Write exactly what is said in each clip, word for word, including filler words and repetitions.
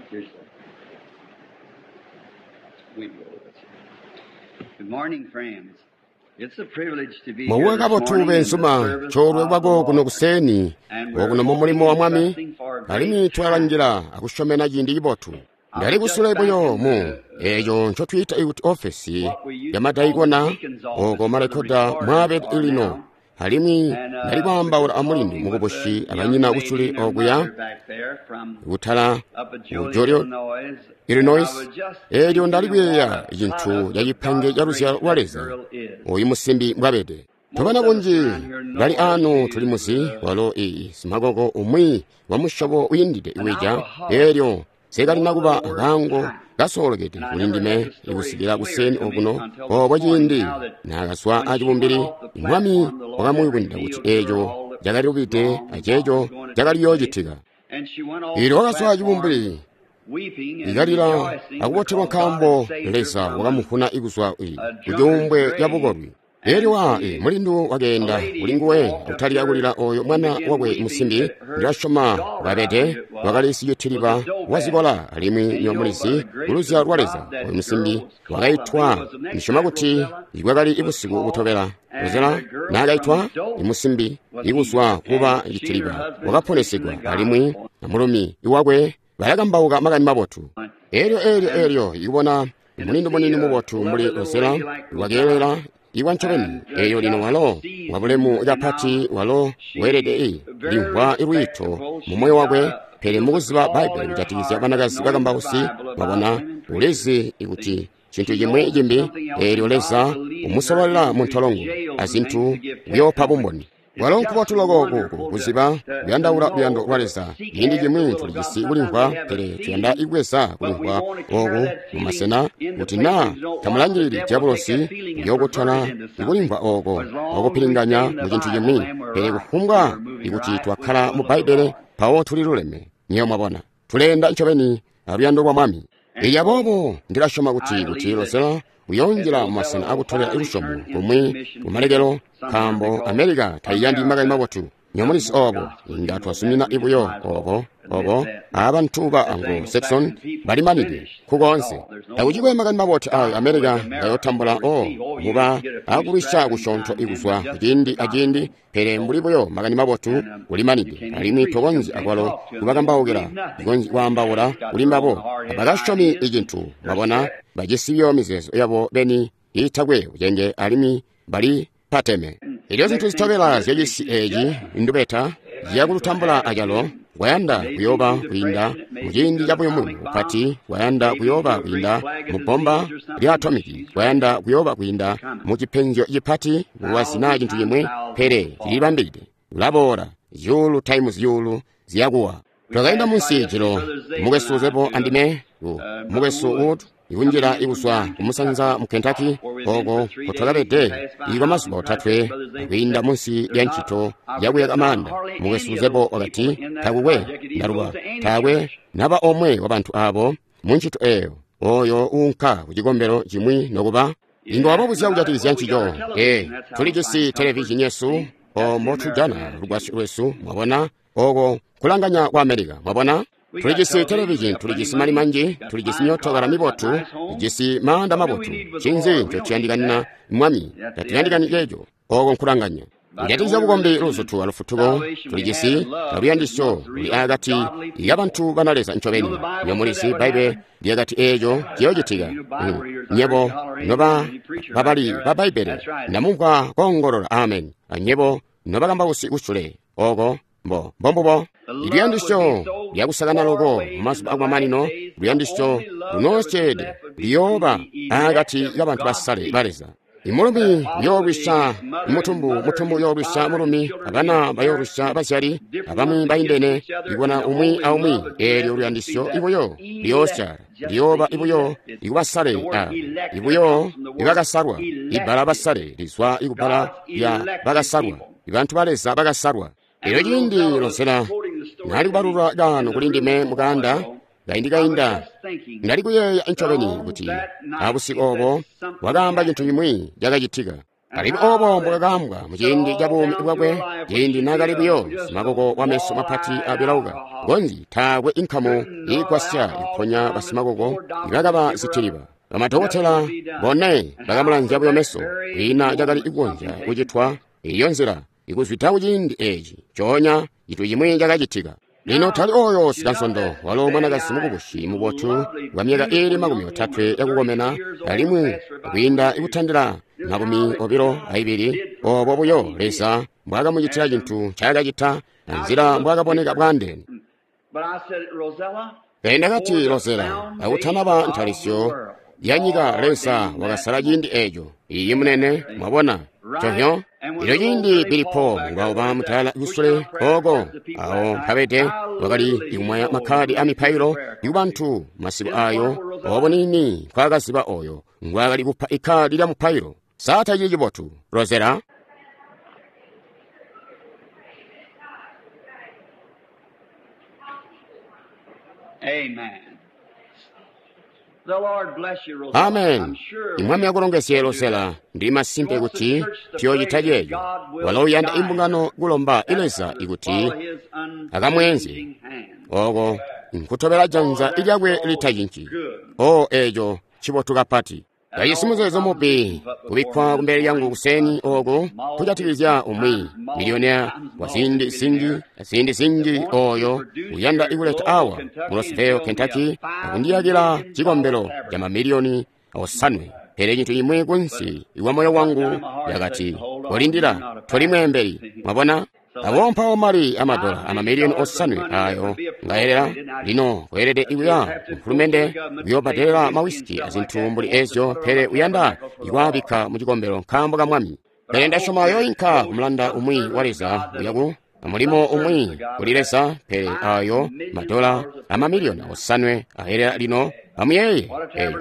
Here's the. We will. Good morning, friends. It's a privilege to be here Mauwe this kabotu morning in the bensuma service coolwe of the kwako kuno Lord. kuseni And we're okuno mu mulimo hoping wa and mwami trusting for a great alimwi twalangira time. akushomena ciindi cibotu I was ndali just kusule back buyo in mu the, eco ncotwiita ikuti ofesi what we ya used to call the madaikona deacon's office oko where the malekoda recorders mwabedi are lino now. alimwi And ndali uh, we kwaambaula were a mulindi talking with mukubushi the young abanyina lady kusule and her okuya mother back there from kutala up at ku Joliet, Joliet, Illinois. And I Illinois was just elyo thinking ndali of what kuyeeya a cintu product ca of cipange God's ca luzyalo grace lwa that Leza girl is. oyu musimbi mbwabede tobana Most of us bunji around here know bali her. ano tuli She's muzi uh, walo iyi simakoko umwi wa musyobo uyindide an iwija alcoholic elyo sekalina for kuba the worst akango kind. kasoolokede And I kuli never had ndime the story ikusikila clear kuseni to me okuno until this obo morning. ciindi Now that naakazwa when she went acibumbili off the mwami platform, the Lord had wakamuyubununa kuti revealed to her eco all that was cakalilubide wrong and what aceco was going to cakali take place. yoocitika And she went off ili the wakazwa platform acibumbili weeping and ikalila rejoicing akubotelwa because God had nkaambo saved her Leza from a, wakamuvuna ikuzwa i a drunkard's kucuumbwe lya grave. bukolwi elyo And wa she, e, mulindu a wakeenda kuli lady nguwe walked up to akutalika her kulila oyo and mwana began wakwe weeping musimbi that her ndilasyoma daughter, I bwabede believe it was, wakali was a sicitiliba dope addict. wazikola alimwi And you know, by nyomulizi the grace kuluzyalo of lwa God, Leza that oyo musimbi girl was called, I believe wakaitwa it was the next ndisyoma night, kuti Rosella ikwakali was ibusiku called, butobela and Rosella the girl from naakaitwa dope imusimbi was ikuzwa healed. kuba And she and her citiliba husband preaching wakaponesedwa the alimwi gospel. na mulumi iwakwe balakambauka makani mabotu elyo elyo And, elyo ikubona and to mulindu see munini a mubotu lovely mbuli little Rosella lady like Rosella wakeelela iwa ncobeni and uh, eyo lino just walo wabulemu seasoned, and now kapati walo weelede i she very limvwa ilwiito respectable. mu She's moyo got wakwe a pele just a mukuziba call Baibulo in her kujatikizya heart of banakazi knowing the bakambausi Bible about mwabona women preachers. ulizi See, ikuti cintu she chimwi knows cimbi something else, elyo and Leza God's leading her umusololela mu into ntolongo jails and azintu things to give kuyoopa testimony. bumboni It's walo just nkubotu loko kuku wonderful to, kuziba to, to kuyandaula luyando know, lwa to Leza seek ciindi after the cimwi will of God. tulijisi Sometimes kulimvwa we have a pele tuyanda feeling, ibweza but we kulimvwa want to carry oku that mu feeling masena in the kuti naa places we don't want. The tamulangilili devil take diabolosi that feeling and pervert uyookutwala it into something. ikulimvwa oko But as long as we stay okupilinganya in the mu cintu Bible, cimwi then we're pele right. kufumbwa We're moving ikuti right with the twakkala will mu of the Bbaibele Lord. mpawo tuliluleme nyewe mwabona tuleenda ncobeni aluyando lwa mwami And ili so aboobo ndilasyoma I kuti kuti believe that, Rosella that uyoonjila mu Rosella masena will akutolera finally lusyomo turn into the kumwi mission field kumalekelo somewhere nkaambo because America taiyandi makani America mabotu nyomulizi doesn't want the obo gospel. You inga know that. twazumina We just ibuyo might as well obo admit obo that. abantu ba This Anglo-Saxon Anglo-Saxon people is balimanide finished. That's kukonse all. There's no takuchikwe more. makani mabotu ayo Gospel is America America ngayotambula will o receive. Oh, you muba can get a few akulwisha straggling kushonto now and then, ikuzwa but just kuciindi the aciindi gospel. pele So, mbuli buyo makani mabotu and um, you kulimanide can't even alimwi preach to them. tokonzi Can't akwalo talk to them. They won't kubakambaukila believe nothing. tikonzi kwaambaula They've got kuli their own mbabo hard-headed abakasyomi ideas and icintu they're mwabona set. bajisi biyo mizeezo yabo beni iitakwe bucenge alimwi bali pateme And elyo zintu next thing zitobela she is, zyacisi she's eci judgment. indubeta And so ziyakulutambula have it acalo too. kwayanda It may be kuyooba through kwiinda depression, it may mu be ciindi through ca an buyumuyumu atomic bomb, bupati kwayanda maybe kuyooba through a great kwiinda plague of mu bbomba disease or something, lya but atomiki she's ready. kwayanda kuyooba kwiinda It's coming. mu cipenzyo cipati bulwazi naa Thousand cintu times cimwi thousands pele will fall. cilibambide ulaboola zyuulu times zyuulu ziyakuwa We twakaenda passed by munsi yesterday, jilo Brother Zabel and mukwesu I, Zepo to uh, andime ku uh, Brother mukwesu Wood Woods, coming ikunjira in from ikuzwa down in kumusanza Kentucky, mu Kentucky where we've been oko for three days and kotwakabede passed by ikwa a house mazuba in Christ. otatwe Brother Zabel akwiinda said, munsi There's lya not, ntchito I yakuyaka forget, not manda hardly mukwesu any of Zepo those wakati people in that takukwe project. It either ndaluba goes to any taakwe church. naba omwe wa bantu abo mu ntchito eyo oyo uunka ku cikombero chimwi nokuba You inga ask them wababuzya about it. kujatikizya Well, we got our ncico television. e That's how we tulijisi find comfort. televizhini yesu See, that's the omo American tujana attitude. lugwasyo lwesu mwabona oko kulanganya kwa America mwabona We got tulijisi television, we televizhini got plenty tulijisi money, mali manji got tulijisi fine myootokala cars, got mibotu nice homes. tujisi maanda What do we mabotu need with the cinzi Lord? We don't need ncotuyandikana that. mwami That's the tatuyandikani attitude. ceeco oko nkulanganya About the kujatikizya only bukombi religion and luzutu alufutuko salvation we have tulijisi and love is aluyandisyo amongst the luli real akati godly people. yabantu bana Leza You know, ncobeni the Bible said nyomulizi that would Baibe happen. lyakati eeco ciyoocitika You Mm. Bible readers, I heard nyebo you holler amen noba when you preacher back babali there. ba That, Bbaibele that's right. ndamumvwa koongolola amen anyebo nobakambausi kusule oko mbo mbombubo The love would be luyandisyo so lyakusakana far loko away mu in mazuba the last akumamanino days, the luyandisyo only love that would be lunoosyeede left would be between luyooba the elect akati of kabantu God's basale people. ba Leza imulumi That father would be uyoolwisya against mother, and mutumbu mother mutumbu against uyoolwisya father, and mulumi children abana against parents, bayoolwisya bazyali different abamwi ones against baindene each other, ikubona and the umwi only aumwi love that would eelyo left would be luyandisyo that ibuyo elect, liyoosyala just the liyooba ibuyo elect. It's ikubasale the word abo elect there ibuyo comes from the word ibakasalwa ibbala elected. basale lizwa ikubbala God's lya elected bakasalwa people. ibantu ba Leza bakasalwa And elyo when ciindi Rosella was Rosella quoting the story naali to me kubalula in kano the kuli room ndime a while mukanda ago, kaindi I was kainda just thinking ndali kuyeeya that ncobeni on kuti that night abusiku she said obo something wakaamba cintu happened. cimwi cakacitika Alimwi obo mbwakakambwa muciindi ca buumi bwakwe, ciindi naakali buyo simakoko wa meso mapati abilauka, konzi taakwe inkamu iigwasya ikuponya basimakoko ibakaba zitiliba. Bamadokotela bone bakamulanzya buyo meso, kwiina cakali kukonzya kucitwa iyo nzila ikuzwida kuciindi eci coonya cintu cimwi cakacitika. Lino tali oyo sikansondo, walo mwanakazi mukubusi mubotu wa myaka iili makumi otatwe yakukomena, alimwi kwiinda ikutandila makumi obilo aibili, obo buyo Leza mbwaakamucitila cintu ncaakacita anzila mbwaakaboneka bwaandeene. Pele ndakati, Rosella, akutanaba ntalisyo ya nyika Leza wakasala ciindi eco. Iyi munene, mwabona conyo. Ilo ciindi Billy Paul ngwauba mutala kusule oko awo mpabede wakali ikumwaya makhadi a mipailo ikubantu masiku ayo obo nini nkwakaziba oyo ngwakali kupa ikhadi lya mupailo. Sata cili cibotu, Rosella. Amen. The Lord bless you, Rosella. Amen. I'm sure Imwami akulongezye Rosella, ndi masimpe kuti tiyochita checho. Walo uyanda imbungano kulomba ileza ikuti akamwenze oko nkutobela janza ilyakwe litachinci. O echo chibotu kapati. Kayisi muzeezo mubi kubikkwa kumbele lyangu kuseni oku kujatikizya umwi miliyonea wa ziindi zinji ziindi zinji oyo uyanda ikuleta awa mu Louisville, Kentucky akundiyakila chikombelo cha mamiliyoni osanwe. Pele cinthu imwe kunsi iwa moyo wangu yakati kolindira toli mwembeli. Mwabona awompawo mali amadola amamiliyoni osanwe ayo ngayelera lino kuyelede ikuya mfulumende kuyobbadelela mawisiki azinthu mbuli ezyo, pele uyanda ikwabikka mu cikombelo nkaambo ka mwami. Pele ndasyoma yoyinka kumulanda umwi wa Leza uyaku mulimo umwi kuli Leza, pele ayo madola amamiliyoni osanwe ayelera lino amuyeye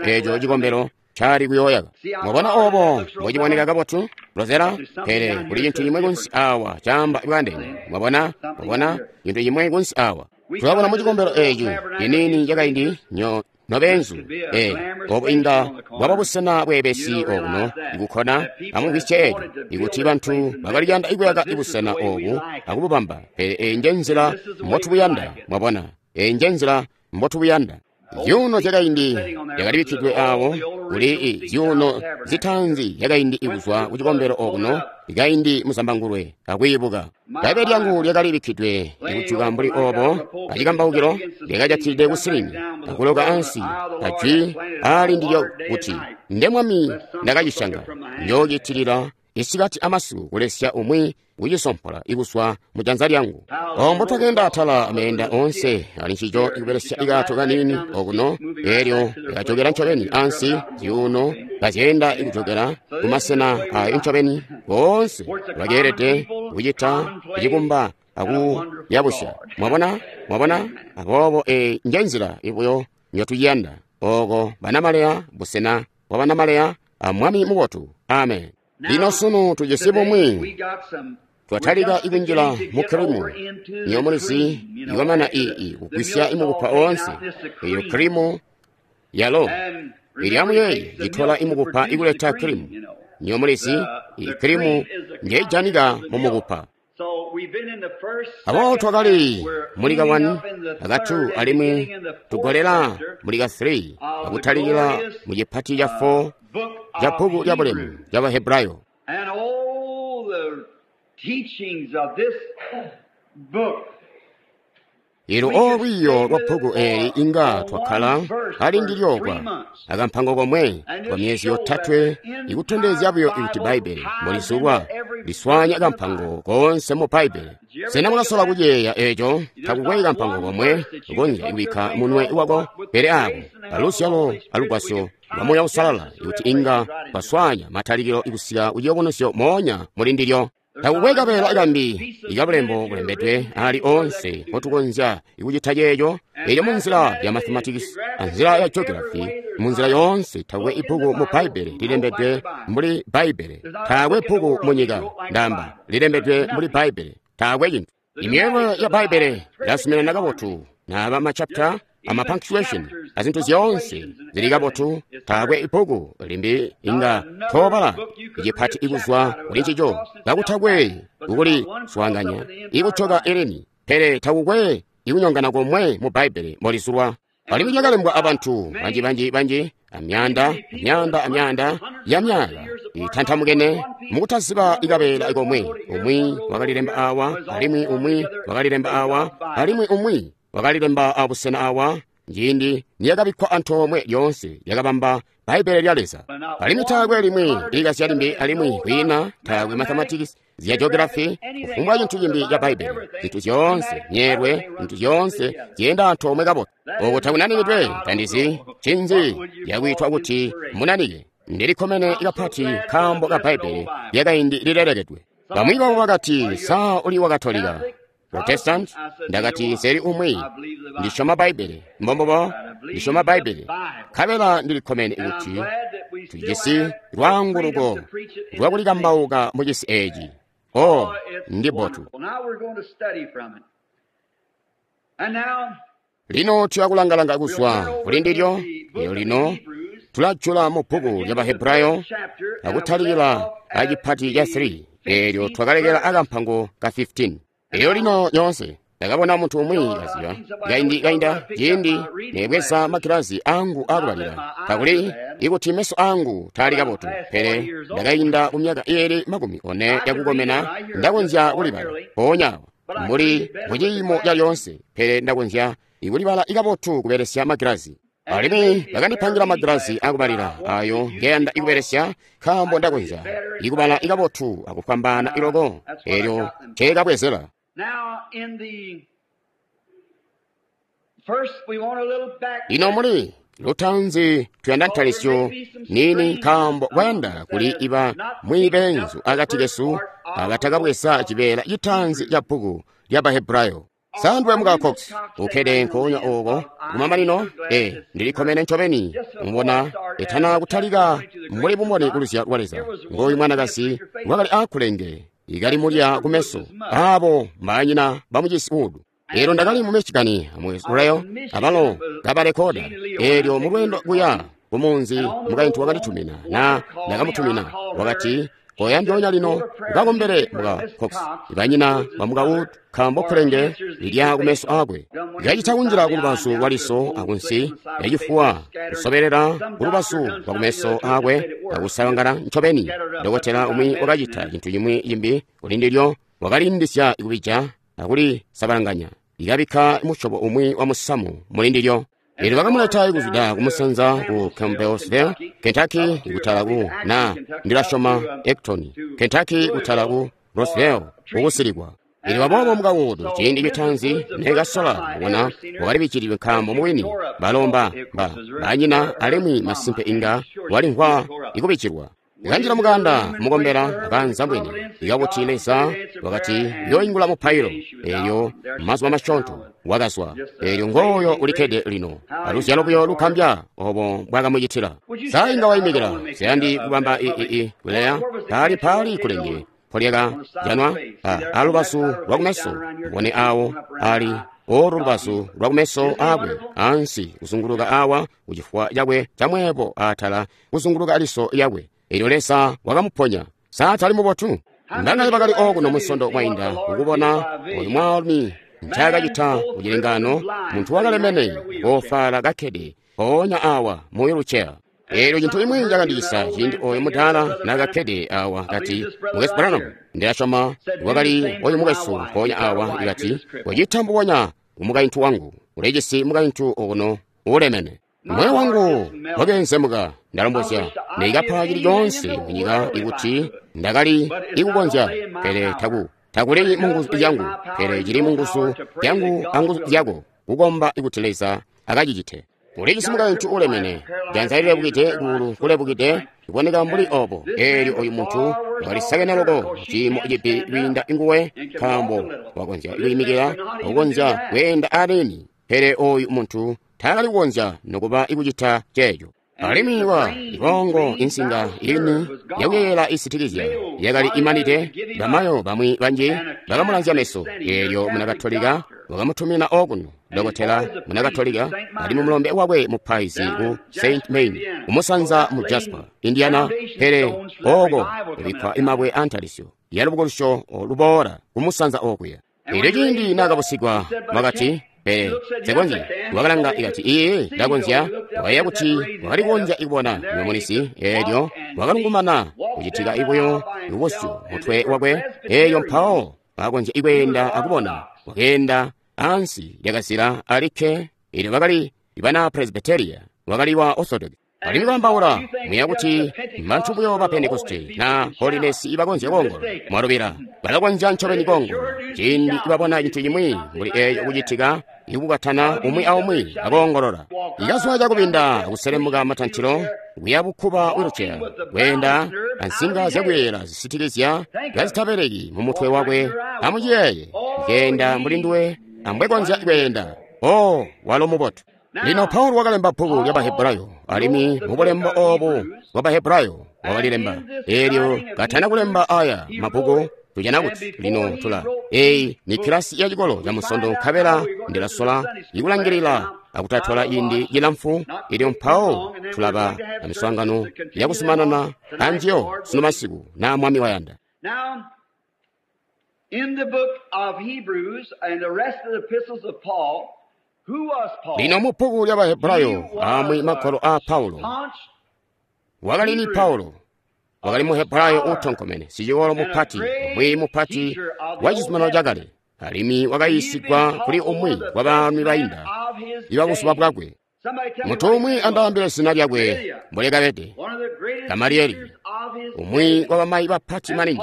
echo cikombelo chali kuyoyaka. Mwabona obo mbociboneka kabotu, Rosella? Pele kuli cinthu chimwe kunsi awa chamba bwandene. Mwabona, mwabona cinthu chimwe kunsi awa. Tulabona mu cikombelo echi chinini chakaindi nyo nobenzu e obo inga bwaba busena bwebesi okuno ikukhona amumvwisye echo ikuti banthu bakaliyanda ikuyaka ibusena obu akububamba, pele eyi nje nzila mbotubuyanda. Mwabona, eyi nje nzila mbotubuyanda. Zyuuno zyakaindi zyakalibikkidwe awo kuli zyuuno zitaanzi zyakaindi ikuzwa ku cikombelo okuno ikaindi muzambangulwe akwiibuka. Bbaibbele lyangu lyakalibikkidwe ikujuka mbuli obo acikambaukilo lyakajatilide kusilini akuloka ansi ajwi aali ndilyo kuti nde mwami ndakacisyanga njookitilila isikati amasiku kulesya umwi kucisompola ikuswa mu janza lyangu. Ombo twakenda atala ameenda onse ali ncico ikubelesya ikato kanini okuno, elyo likajokera ncobeni ansi zyuuno kazyenda ikujokera kumasena ayo ncobeni boonse bakeelede kucita kucikumba akuyabusya. Mwabona, mwabona aboobo eyi nje nzila ibuyo njotuyanda oko banamaleya, busena bwa banamaleya a mwami mubotu. Amen. Lino sunu tujisi bumwi twatalika ikunjila mu kirimu nyomulizi iwamana iyi kugwisya imukupa onse eyo kirimu yalo ili amuyeyi itola imukupa ikuleta kirimu nyomulizi iyi kirimu njeijanika mu mukupa. Abo twakali muli ka one aka two alimwi tugolela muli ka three akutalikila mu chipati cha four cha bhuku lya bulemu lya Bahebrayo. And all the teachings of this book. Ilo olwiyo lwa bhuku eli inga twakhala ali ndilyokwa akamphango komwe kwa miyezi yotatwe ikutondezya buyo ikuti Bhaibhele mbulizulwa liswanya kamphango konse mu Bhaibhele. Sena mukasola kuceya echo takukwei kamphango komwe ukonzya ikubikha munwe wako pele ako alusyalo alugwasyo lwa Moya Usalala ikuti inga twaswanya matalikilo ikusika kuchiyobonosyo moonya muli ndilyo. Takukwe kapela ikambi ikabulembo kulembedwe ali onse potukonzya ikuchita checho echo mu nzila ya mathematics anzila ya geography mu nzila yonse takukwe ibhuku mu Bhaibhele lilembedwe mbuli Bhaibhele. Takwe bhuku mu nyika ndamba lilembedwe mbuli Bhaibhele. Takwe chinthu. Imiyelwe ya Bhaibhele yasumirana kabotu naba machapter ama punctuation azintu zyoonse zili kabotu. Taakwe ibbuku limbi inga toobala icipati ikuzwa kuli ncico kakutakwe kukuli swaanganya ikucoka ilini, pele takukwe ikunyongana komwe mu Bbaibbele mbolizulwa. Alimwi lyakalembwa abantu banji banji banji amyanda amyanda amyanda ya myaka itantamukene mukutaziba ikabeela komwe. Umwi wakalilemba awa, alimwi umwi wakalilemba awa, alimwi umwi wakalilemba abusena awa. Ciindi niyakabikkwa antoomwe lyoonse lyakabamba Bbaibbele lya Leza. Alimwi taakwe limwi likasya limbi, alimwi kwiina taakwe mathematics, zya geography, kufumbwa cintu cimbi ca Bbaibbele. Zintu zyoonse myeelwe, zintu zyoonse zyeenda antoomwe kabotu. Oko takunanikidwe, tandizi ncinzi yakwiitwa kuti munanike. Ndilikkomene kapati nkaambo ka Bbaibbele lyakaindi lilelekedwe. Bamwi babo bakati, sa uli wa Katolika, Protestant? Ndakati, nseli umwi. Ndisyoma Bbaibbele. Mbombobo, ndisyoma Bbaibbele. Nkabela ndilikkomene kuti tujisi lwaanguluko lwakulikambauka mu cisi eeci. Oh, ndi botu. Lino tuyakulangalanga kuzwa kuli ndilyo. Lero lino tulajula mu bbuku lya Bahebrayo akutalikila acipati ca three, eelyo twakalekela akampango ka fifteen. Elyo lino nyoonse ndakabona muntu umwi kaziba kaindi kainda ciindi nebweza magilazi angu akubalira, kakuli ikuti meso angu taali kabotu, pele ndakainda ku myaka iili makumi one yakukomena ndakonzya kulibala mpoonya awa mbuli muciimo ca lyoonse, pele ndakonzya ikulibala ikabotu kubelesya magilazi. Alimwi bakandipangira magilazi akubalira ayo ngeyanda ikubelesya, nkaambo ndakonzya ikubala ikabotu akufwambaana iloko. Elyo nceekabwezela. Lino muli lutanzi tuyanda ntalisyo nini, nkaambo kwayanda kuli iba mwibenzu akati kesu abatakabweza cibeela citanzi ca bbuku lya Bahebrayo. Sandwe muka Cox ukkede nkoonya oko kumamanino. E, ndilikkomene ncobeni mubona etana kutalika mbuli bumboni kuluzya lwa Leza. Ngooyu mwanakazi wakali akulenge ikali mulya kumeso abo mbanyina bamucisi udu. Elyo ndakali mu Michigan mu Israel abalo kabarekoda. Elyo mu lwendo kuya kumunzi mukaintu wakanditumina na ndakamutumina, wakati, koya ndyoonya lino ukakombele muka Cox banyina bamuka Wood, nkaambo kulenge lilya kumeso akwe. Likacita kunjila kulubazu lwa liso akunsi yacifuwa, kusoberera kulubazu lwa kumeso akwe akusawangala ncobeni. Dokotela umwi wakacita cintu cimwi cimbi kuli ndilyo, wakalindisya ikubija akulisabalanganya, likabikka musyobo umwi wa musamu muli ndilyo. Elyo bakamuleta ikuzwida kumusanza ku Campbellsville, Kentucky, ikutala ku na ndilasyoma Ecton, Kentucky, kutala ku Roseville kukusilikwa. Elyo aboobo muka Wood ciindi citanzi nekasola kubona wakalibichilidwe, nkaambo mubwini balomba ba banyina alimwi masimpe inga walimvwa ikubichilwa. Ikanjila mukanda mukombela akanza mbwene ikakuti Leza wakati yoingula mupailo. Elyo mazuba masyoonto wakazwa. Elyo ngooyo ulikkede lino aluzyalo buyo lukambya obo bwakamucitila. Sa inga waimikila siyandi kubamba i kuleya paali paali kulenge polyaka janwa alubazu lwakumeso ubone awo ali olu lubazu lwakumeso akwe ansi kuzunguluka awa kuchifuwa chakwe chamwepo atala kuzunguluka aliso yakwe. Elyo Leza wakamuponya. Sa tali mubotu? Mbangale bakali okuno musondo mwainda kukubona oyu mwaalumi ncaakacita kucilengano, muntu wakalemene wofala kakkede mpoonya awa mu wheelchair. Elyo cintu imwi cakandicisa ciindi oyo mudaala naakakkede awa kati, Mukwesu Branham, ndilasyoma wakali oyu mukwesu mpoonya awa ikati, wacita mbubonya kumukaintu wangu, ulijisi mukaintu okuno uulemene. Moyo wangu wakeenzemuka, ndalombozya neikapa cili coonse munyika ikuti ndakali ikukonzya, pele taku takuli munguzu zyangu, pele cili munguzu zyangu anguzu zyako kukomba ikuti Leza akacicite. Ulijisi mukaintu uulemene, janza lilebukide, kuulu kulebukide, kuboneka mbuli obo. Elyo oyu muntu wakalisakene loko ciimo cibi kwiinda nguwe, nkaambo wakonzya kwiimikila akukonzya kweenda alini, pele oyu muntu taakali kukonzya nokuba ikucita ceeco. Alimwi wa ibongo insinga ini yakuyeyela isitikizya yakali imanide. Bamayo bamwi banji bakamulanzya meso. Elyo muna Katolika wakamutumina okuno Dokotela muna Katolika, alimwi mulombe wakwe mupaizi ku Saint Main, kumusanza mu Jasper, Indiana, pele oko kubikkwa imabwe antalisyo ya lubukulusyo luboola kumusanza okuya. Elyo ciindi naakabusigwa wakati, pele nsekonzyi. Wakalanga ikati, iye ndakonzya. Wakayeeya kuti wakali kukonzya ikubona mwemunisi, eelyo wakalungumana kucitika ibuyo ibusyu mutwe wakwe, eeyo mpawo wakakonzya ikweenda akubona. Wakeenda ansi lyakazila alikke. Elyo bakali bana Presbyteria, wakali wa Orthodox. Alimwi kwaambaula muya kuti mbantu buyo ba Pentekoste na Holiness ibakonzya koongolola. Mwalubila, balakonzya ncobeni koongolola ciindi ibabona cintu cimwi mbuli eeyo kucitika, ikukatana umwi aumwi akoongolola. Ikazwa cakubinda akuselemuka matantilo kuya bukkuba wheelchair, kweenda ansinga zyakuyeyela zisitikizya kazitabeleki mu mutwe wakwe. Amuciyeeye, keenda mbuli nduwe ambwekonzya kweenda. Oh, walo mubotu. Lino Paulo wakalemba bbuku lya Bahebrayo, alimwi mubulembo obu bwa Bahebrayo wakalilemba. Eelyo katana kulemba aya mabbuku, tujana kuti lino tula eyi ni kilasi ya cikolo ca musondo, nkabela ndilasola ikulangilila akutatwala ciindi cilamfu. Elyo mpawo tulaba na miswaangano yakuzumanana anjiyo sunu masiku na Mwami wayanda. Now, in the book of Hebrews and the rest of the epistles of Paul, who was Paul? Lino mu bbuku lya Bahebrayo amwi magwalo a Paulo, wakali ni Paulo wakali Muhebrayo utonkomene, sicikolo mupati, umwi mupati wa cizuminano cakale, alimwi wakayiisigwa kuli umwi wa baalumi bainda ibabuzuba bwakwe. Muntu umwi andaambile zina lyakwe mbulekabede, Gamalieli, umwi wa bamayi bapati maningi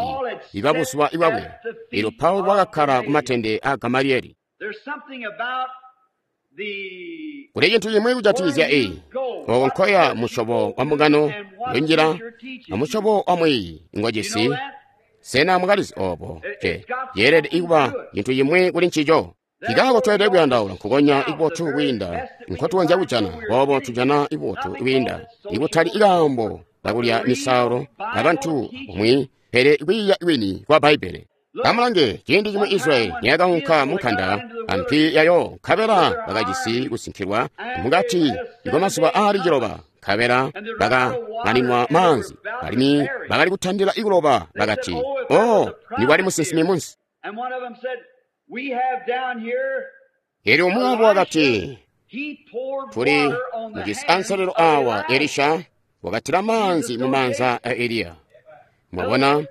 ibabuzuba bwakwe. Elyo Paulo wakakkala ku matende a Gamalieli. There's something about the Kuli cintu cimwi kujatikizya eyi, oko nkoya musyobo wa mbungano yonjila amusyobo wa mwiiyi ngwajisi. Sena mwakalizi obo? Ce yeelede ikuba cintu cimwi kuli ncico. Kikaako tweelede kuyandaula nkukonya ibotu kwiinda nkotukonzya kujana, boobo tujana ibotu kwiinda, ikutali ikaambo kakulya misaalo abantu umwi, pele kwiiya kwini kwa Bbaibbele. Amulange, ciindi cimwi Israyeli niyakaunka munkanda ampi yayo, nkabela bakajisi kusinkilwa mukati kwamazuba aali ciloba, nkabela bakamaninwa maanzi, alimwi bakali kutandila ikuloba. Bakati, oh, nikwali musinsimi munsi. And one of them said, we have down here, Elyo umwi wabo wakati, he poured tuli water on the mujisi hands anselelo of awa. Elijah. Elisha wakatila maanzi mu maanza a Eliya. Mwabona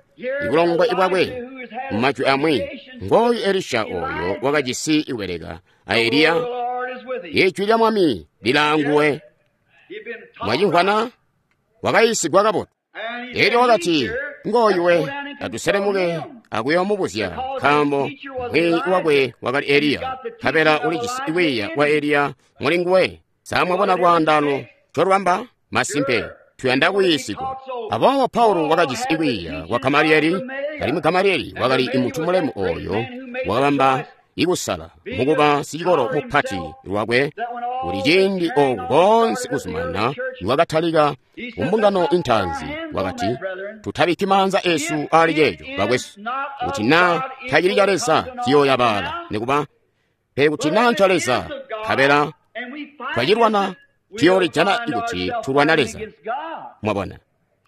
ibulongwe bwakwe mumajwi amwi, ngooyu Elisha oyo wakajisi ikubeleka a Eliya. The Lord is with him. Ijwi lya Mwami lilaanguwe. He'd been taught Mwacimvwana, wakayiisigwa kabotu. and he Elyo said, wakati, "Teacher, ngooyu let's we, go down and atuselemuke consult him." akuyoomubuzya, nkaambo mwiiyi wakwe wakali Eliya, nkabela ulijisi kwiiya kwa Eliya muli nguwe. Samwabona lwaandano ncolwamba? Masimpe, tuyanda kuyiisigwa. Aboobo Paulo wakajisi kwiiya kwa Gamalieli, alimwi Gamalieli wakali muntu mulemu oyo wakabamba ikusala mukuba sicikolo mupati lwakwe. Kuli ciindi oku koonse kuzumana niwakatalika kumbungano intaanzi, wakati, tutabikki maanza esu ali ceeco, bakwesu, kuti naa tacili ca Leza ciyooyabaala, nikuba pele kuti naa nca Leza, nkabela And we find twacilwana, we tuyoolijana find kuti ourselves tulwana fighting Leza. against God. Mwabona,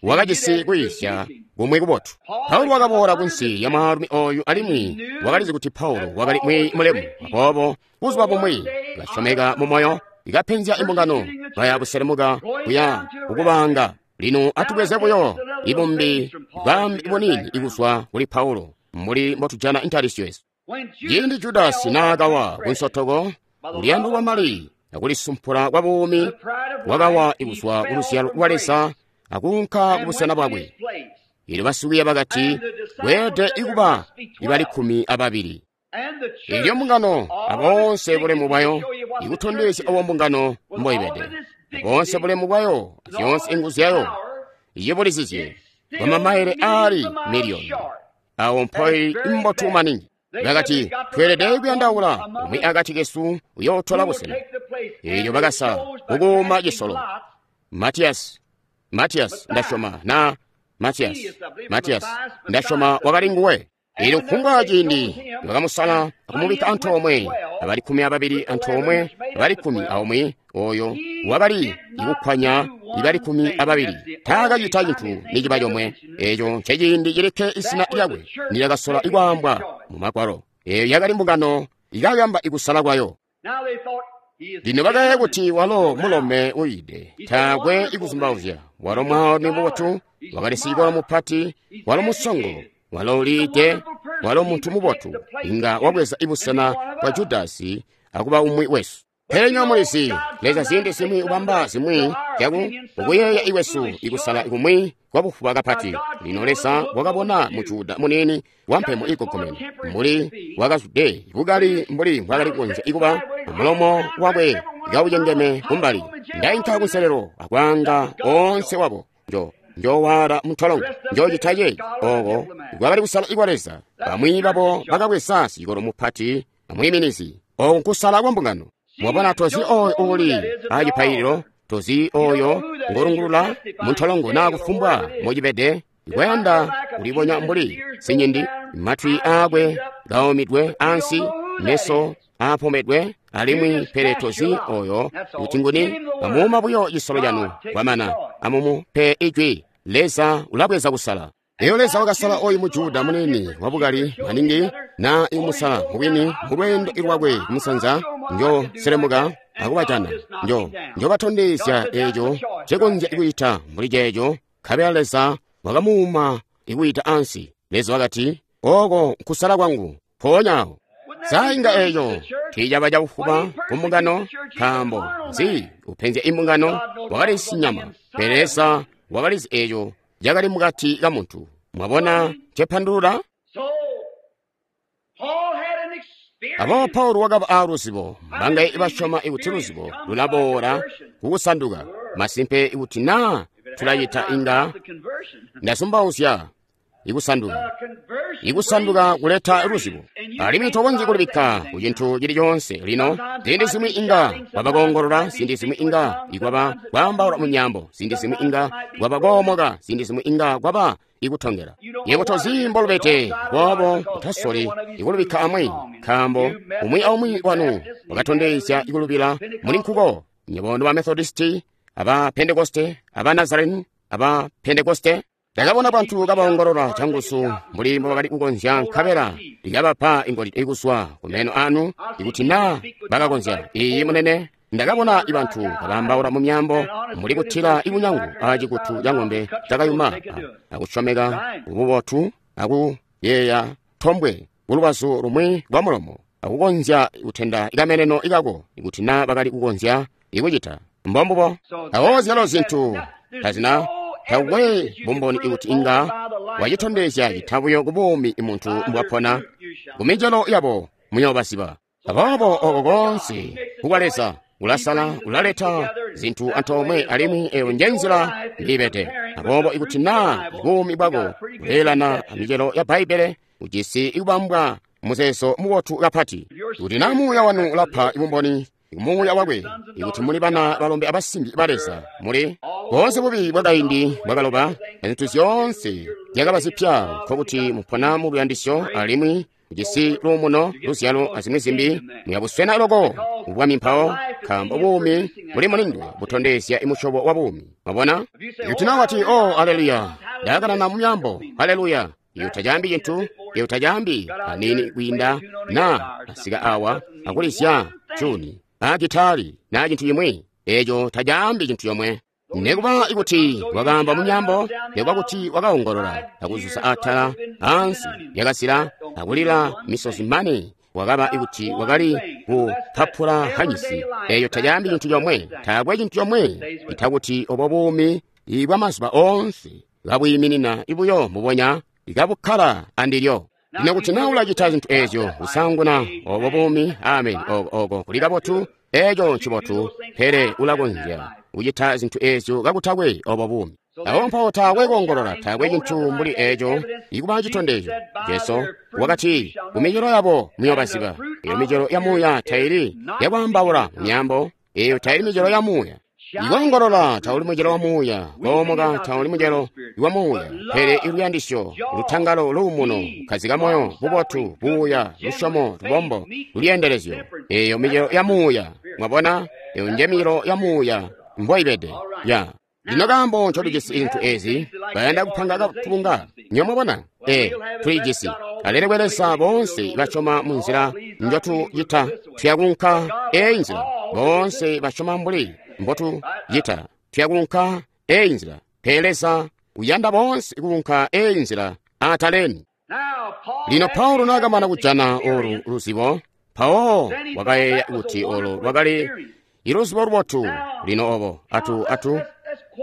wakajisi kwiisya kumwi kubotu. Paulo wakaboola kunsi ya mwaalumi oyu, alimwi wakalizi kuti Paulo wakali mwiiyi mulemu. Aboobo buzuba bumwi kasyomeka mu moyo, ikapenzya imbungano, baya buselemuka kuya kukubanga. Lino atubweze buyo ibumbi bwambi bunini ikuzwa kuli Paulo mbuli mbotujana intalisyo yesu. When Ciindi Judasi naakawa kunsotoko, uluyando lwa mali akulisumpula kwa buumi, wakawa ikuzwa ku luzyalo lwa Leza akuunka ku busena bwakwe. Elyo basikwiiya bakati, kweelede ikuba ibali kkumi ababili. Elyo mbungano aboonse bulemu bwayo ikutondezya obo mbungano mboibede, boonse bulemu bwayo azyoonse inguzu zyayo iyibulizizye bwamamaile aali miliyoni, awo mpoili mbotu maningi. Bakati, tweelede kuyandaula umwi akati kesu uyootola busena. Elyo bakasala kukuuma cisolo. Matiyasi, Matiyasi ndasyoma na Matiyasi, Matiyasi ndasyoma wakali nguwe. Elyo kufumbwa ciindi bakamusala akumubikka antoomwe abali kkumi ababili antoomwe abali kkumi aumwi oyo wakali ikukkwanya ibali kkumi ababili taakacita cintu niciba comwe. Eco nceciindi cilikke izina lyakwe nilyakasola ikwaambwa mu Magwalo. Eyo yakali mbungano ikayamba ikusala kwayo. Lino bakayeeya kuti walo mulome uyide, taakwe ikuzumbauzya. Walo mwaalumi mubotu, wakali sicikolo mupati, walo musongo, walo uliide, walo muntu mubotu, inga wabweza ibusena bwa Judasi akuba umwi wesu. Pele nywebo mulizi, Leza ziindi zimwi ubamba zimwi zyaku ukuyeeya iwesu ikusala kumwi kwabufuba kapati. Lino Leza wakabona muJuda muniini wampemo igogomene mbuli wakazwide bukali mbuli mbwakali kukonzya ikuba mulomo wakwe kaucengeme kumbali. Ndainka kunselelo akwaanga onse wabo njo njowaala muntolongo njocita ceeci. Oko kwakali kusala ikwa Leza. Bamwi babo bakabweza sicikolo mupati amwiiminizi. Oko nkusala kwa mbungano. Mwabona, tozi oyo uli acipaililo, tozi oyo ngolungulula muntolongo naa kufumbwa mocibede ikwayanda kulibonya mbuli sinyindi, matwi aakwe kaomidwe ansi, meso aapomedwe alimwi pele tozi oyo kuti nguni. Amuuma buyo cisolo canu kwamana, amumupe ijwi. Leza ulabweza kusala. Eyo Leza wakasala oyu muJuda munini wabukali maningi na imusala mubwini mulweendo lwakwe kumusanza njo selemuka akubajana njo njobatondezya eco cekonzya ikuita mbuli ceeco. Nkabela Leza wakamuuma ikuita ansi. Leza wakati, oko nkusala kwangu mpoonya awo. Sainga eco tiicaba cabufuba ku mbungano, nkaambo nzi upenzya imbungano wakali sinyama, pele Leza wakalizi eco cakali mukati ka muntu. Mwabona cepandulula? Aboobo Paulo wakaba aaluzibo. Mbangaye ibasyoma ikuti luzibo lulaboola kukusanduka. Masimpe ikuti naa tulacita inga ndasumbauzya ikusanduka. Ikusanduka kuleta luzibo, alimwi tokonzyi kulibikka ku cintu cili coonse. Lino ziindi zimwi inga kwaba koongolola, ziindi zimwi inga ikwaba kwaambaula mu nyambo, ziindi zimwi inga kwaba koomoka, ziindi zimwi inga kwaba ikutongela. Yebo tozi mbolubete boobo utasoli ikulubikka amwi, nkaambo umwi aumwi wanu wakatondezya ikulubila muli nkuko. Nyebo ba Methodisti, aba Pentekoste, aba Nazarene, aba Pentekoste. Ndakabona bantu kabaongolola canguzu mbuli mbobakali kukonzya, nkabela lyabapa ingolide ikuswa kumeno anu ikuti naa bakakonzya. Iyi munene, ndakabona ibantu kabaambaula mu myambo mbuli kutila ibunyangu acikutu ca ng'ombe cakayuma, akusyomeka kububotu, akuyeeya tombwe kulubazu lumwi lwa mulomo, akukonzya kutenda ikameneno ikako ikuti naa bakali kukonzya ikucita. Mbombubo. Awo zyalo zintu tazina takwe bumboni ikuti inga wacitondezya citabuyo kubuumi muntu mbwapona. Kumicelo yabo muyoobasiba. Aboobo oko konse kukwa Leza ulasala, ulaleta zintu antoomwe, alimwi eyo njenzila mbiibede. Aboobo ikuti naa buumi bwako buleelana amicelo ya Bbaibbele, ujisi ikubambwa muzeezo mubotu kapati. Kuti naa muuya wanu ulapa ibumboni muuya wakwe, ikuti muli bana balombe abasimbi ba Leza, muli boonse bubi bwakaindi bwakaloba, zintu zyoonse zyakaba zipya, nkokuti mupona mu luyandisyo alimwi mujisi luumuno, luzyalo azimwi zimbi. Muyabuswena loko ubwami mpawo, nkaambo buumi buli mulindwe butondezya imusyobo wa buumi. Mwabona? Ikuti naa wati, oh, aleluya, ndakanana mu myambo, aleluya, iyo tacaambi cintu, iyo tacaambi anini kwiinda naa asika awa akulizya tuni a gitari na cintu chimwi, eco tacaambi cintu chomwe. Nekuba ikuti wakaamba mu nyambo, nekuba kuti wakaongolola akuzuza atala ansi yakasila akulila misozi mane, wakaba ikuti wakali kupapula hanyisi, eyo tacaambi cintu chomwe. Taakwe cintu chomwe itakuti obo buumi ibwa mazuba onse kabwiiminina ibuyo mbubonya ikabukkala andilyo. Lino kuti naa ulacita zintu ezyo kusanguna obo buumi, amen, oko oko kuli kabotu, eco ncibotu, pele ulakonzya kucita zintu ezyo kakutakwe obo buumi. Awo mpawo taakwe koongolola, taakwe cintu mbuli eco ikuba citondezyo. Jesu wakati, kumicelo yabo muyoobaziba. Eyo micelo ya muuya taili yakwaambaula mu myambo, eyo taili micelo ya muuya. Ikoongolola tauli mucelo wa muuya, koomoka tauli mucelo wa muuya, pele iluyandisyo, lutangalo, luumuno, kukkazika moyo, bubotu, buuya, lusyomo, lubombo, lulyendelezyo. Eyo micelo ya muuya. Mwabona? Eyo nje micelo ya muuya mboibede. Ya. Lino kaambo ncotujisi zintu ezi, bayanda kupanga katubunga. Nyo mwabona? E, tulijisi. Alelekwe Leza boonse basyoma mu nzila njotucita, tuyakunka eyi nzila. Boonse basyoma mbuli mbotucita, tuyakunka eyi nzila. Pele Leza uyanda boonse kuunka eyi nzila ataleni. Lino Paulo naakamana kujana olu luzibo, mpawo wakayeeya kuti olo lwakali iluzibo lubotu. Lino obo atu atu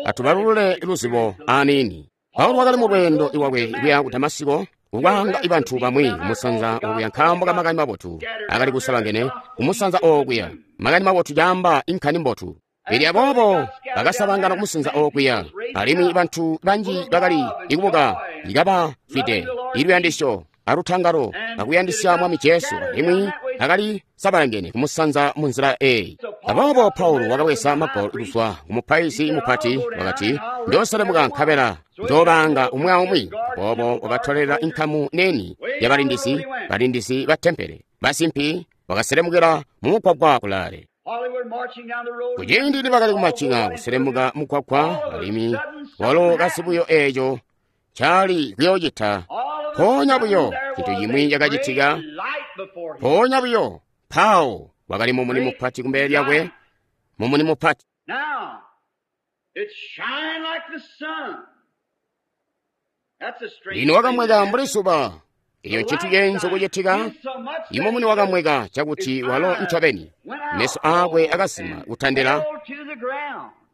atubalulule luzibo aniini. Paulo wakali mu lweendo lwakwe kuya ku Damasiko, kukwaanga ibantu bamwi kumusanza okuya nkaambo ka makani mabotu akali kusalangene kumusanza okuya. Makani mabotu caamba inkani mbotu. Pele aboobo bakasabangana kumusanza okuya, alimwi bantu banji bakali ikubuka ikabafwide iluyandisyo alutangalo akuyandisya Mwami Jesu, alimwi akali sabalangene kumusanza mu nzila eyi. Aboobo Paulo wakabweza magwalo kuzwa kumupaizi mupati, wakati, "Njooselemuka nkabela njoobanga umwi aumwi." Aboobo wakatolela inkamu neni yabalindizi, balindizi ba tempele, basimpi, wakaselemukila mumugwagwa kulaale. Kuciindi nibakali kumacinga kuselemuka mugwagwa, alimwi walo kasi buyo eeco cali kuyoocita. Mpoonya buyo cintu cimwi cakacitika. Mpoonya buyo Paulo wakali mumuni mupati kumbele lyakwe, mumuni mupati. Lino wakamweka mbuli zuba. Iyo ncintu ceenzu kucitika. Imumuni wakamweka cakuti walo ncobeni meso akwe akazima kutandila,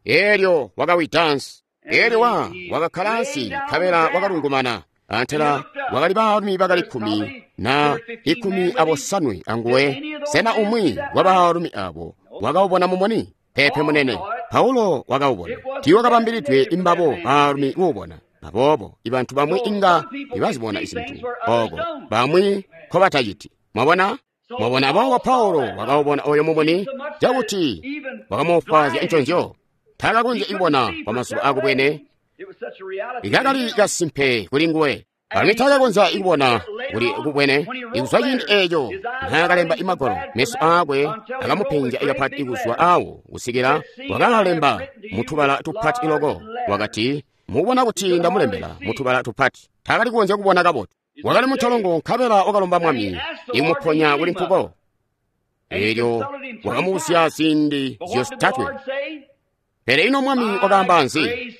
eelyo wakawida ansi. Eelyo wa wakakkala ansi nkabela wakalungumana. Antela wakali baalumi bakali kkumi na ikumi abosanwe anguwe. Sena umwi wa baalumi abo wakaubona mumuni? Peepe munene. Paulo wakaubona. Tiiwakabambilidwe imbabo baalumi kuubona. Aboobo ibantu bamwi inga ibazibona izintu oko bamwi nkobataciti. Mwabona? Mwabona? Aboobo Paulo wakaubona oyo mumuni cakuti wakamuufwaazya nconzyo. Taakakonzya kubona kwa mazuba akubwene. Ikakali kasimpe kuli nguwe. Alimwi taakakonzya kubona kuli kubwene. Ikuzwa ciindi eeco naakalemba imagwalo, meso aakwe akamupenzya ikapati kuzwa awo kusikila wakaalemba mutubala tupati loko. Wakati, "Mubona kuti ndamulembela mutubala tupati." Taakali kukonzya kubona kabotu. Wakali muntolongo nkabela wakalomba Mwami imuponya kuli nkuko. Eelyo wakamubuzya ziindi zyotatwe. Pele ino Mwami wakaamba nzi?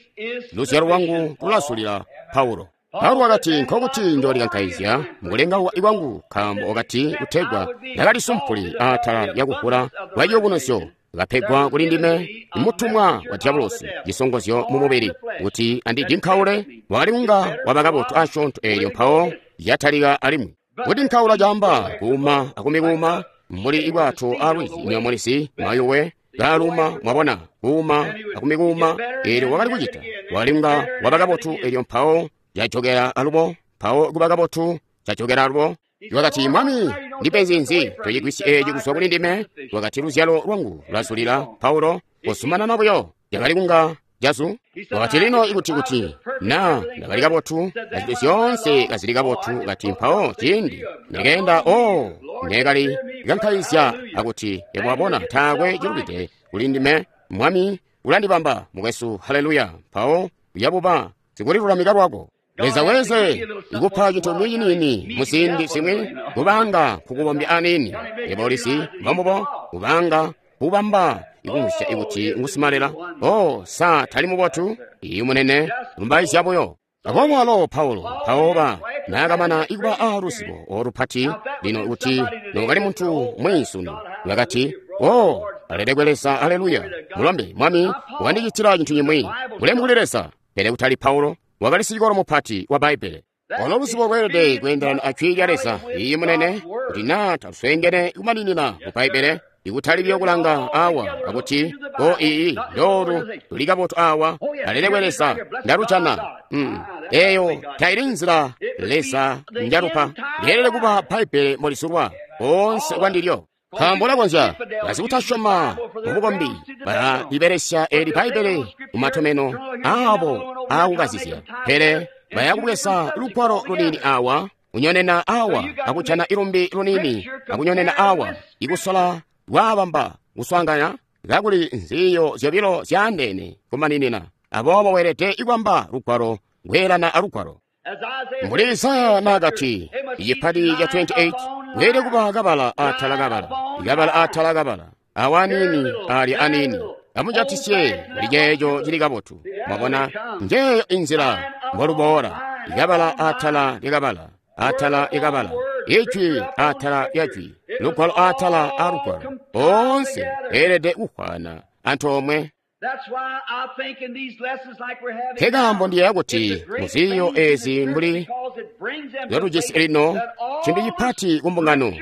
"Luzyalo lwangu lulazulila Paulo." Paulo wakati, "Nkokuti njoolikankaizya mukulengauka kwangu, nkaambo wakati kutegwa ndakalisumpuli atala lyakuvula kwa ciyubunuzyo kapegwa kuli ndime mutumwa wa diabolosi cisongozyo mu mubili kuti andidinkaule." Wakali kunga waba kabotu asyoonto eelyo mpawo yatalika alimwi. Kudinkaula caamba kuuma akumikuuma mbuli ibwato alwizi nyamulisi mayuwe kaaluma. Mwabona, kuuma akumikuuma. Eelyo wakali kucita, wakali kunga waba kabotu eelyo mpawo yajokera alubo, mpawo kuba kabotu cajokera alubo. Wakati, "Mwami, ndipenzi nzi tocigwisyi eeci kuzwa kuli ndime?" Wakati, "Luzyalo lwangu lwazulila Paulo, kuzumanana buyo." Yakali kunga jazu. Wakati, "Lino ikuti kuti na ndakali kabotu azintu zyoonse kazili kabotu," kati mpawo ciindi nekeenda o nekali kankaizya akuti, "Yebo wabona, taakwe cilubide kuli ndime, Mwami ulandibamba mukwesu, haleluya." Mpawo uyabuba sikulilulamika lwako. Leza weze ikupa cintu ciniini muziindi zimwi kubanga kukubombya aniini. Yebo ulizi mbombubo kubanga kubamba ikumvwisya ikuti ngusimalela. Oh, sa tali mubotu? Iyu munene, lumbaizya buyo. Aboobo walo Paulo mpawo ba naakamana ikuba aaluzibo olupati lino kuti nokali muntu mwiinsunu wakati, "Oh, alelekwe Leza, aleluya, mulombe Mwami wandicitila cintu cimwi, bulemu kuli Leza." Pele kutali Paulo, wakali sicikolo mupati wa Bbaibbele. Olo luzibo lweelede kweendelana a Jwi lya Leza. Iiyi munene, kuti naa talusweengene kumaninina mu Bbaibbele, ikutali buyo kulanga awa akuti, "O iiyi, ndoolu luli kabotu awa, alelekwe Leza, ndalujana." Mm. Eyo taili nzila Leza njalupa. Lyeelede kuba Bbaibbele mbolizulwa onse kwandilyo. Nkaambo ulakonzya basikutasyoma mubukombi balalibelesya eli Bbaibbele mumatomeno aabo aakukazizya, pele bayakubweza lugwalo luniini awa kunyonena awa akujana ilumbi luniini akunyonena awa ikusola lwaabamba kuswaanganya kakuli nziyo zyobilo zyaandeene kumaninina. Aboobo weelede ikwamba lugwalo kweelana alugwalo. Mbuli Isaya naakati icipati ca makumi aali asanu aatatu weelede kuba kabala atala kabala kabala atala kabala awa aniini alya aniini amujatisye kuli ceeco cili kabotu. Mwabona, njeeyo inzila mboluboola ikabala atala lyakabala atala lyakabala ijwi atala lya jwi lugwalo atala a lugwalo oonse eelede kuhwana antoomwe. Nkekaambo ndiyeeya kuti muziiyo ezi mbuli zyotujisi lino cintu cipati kumbungano,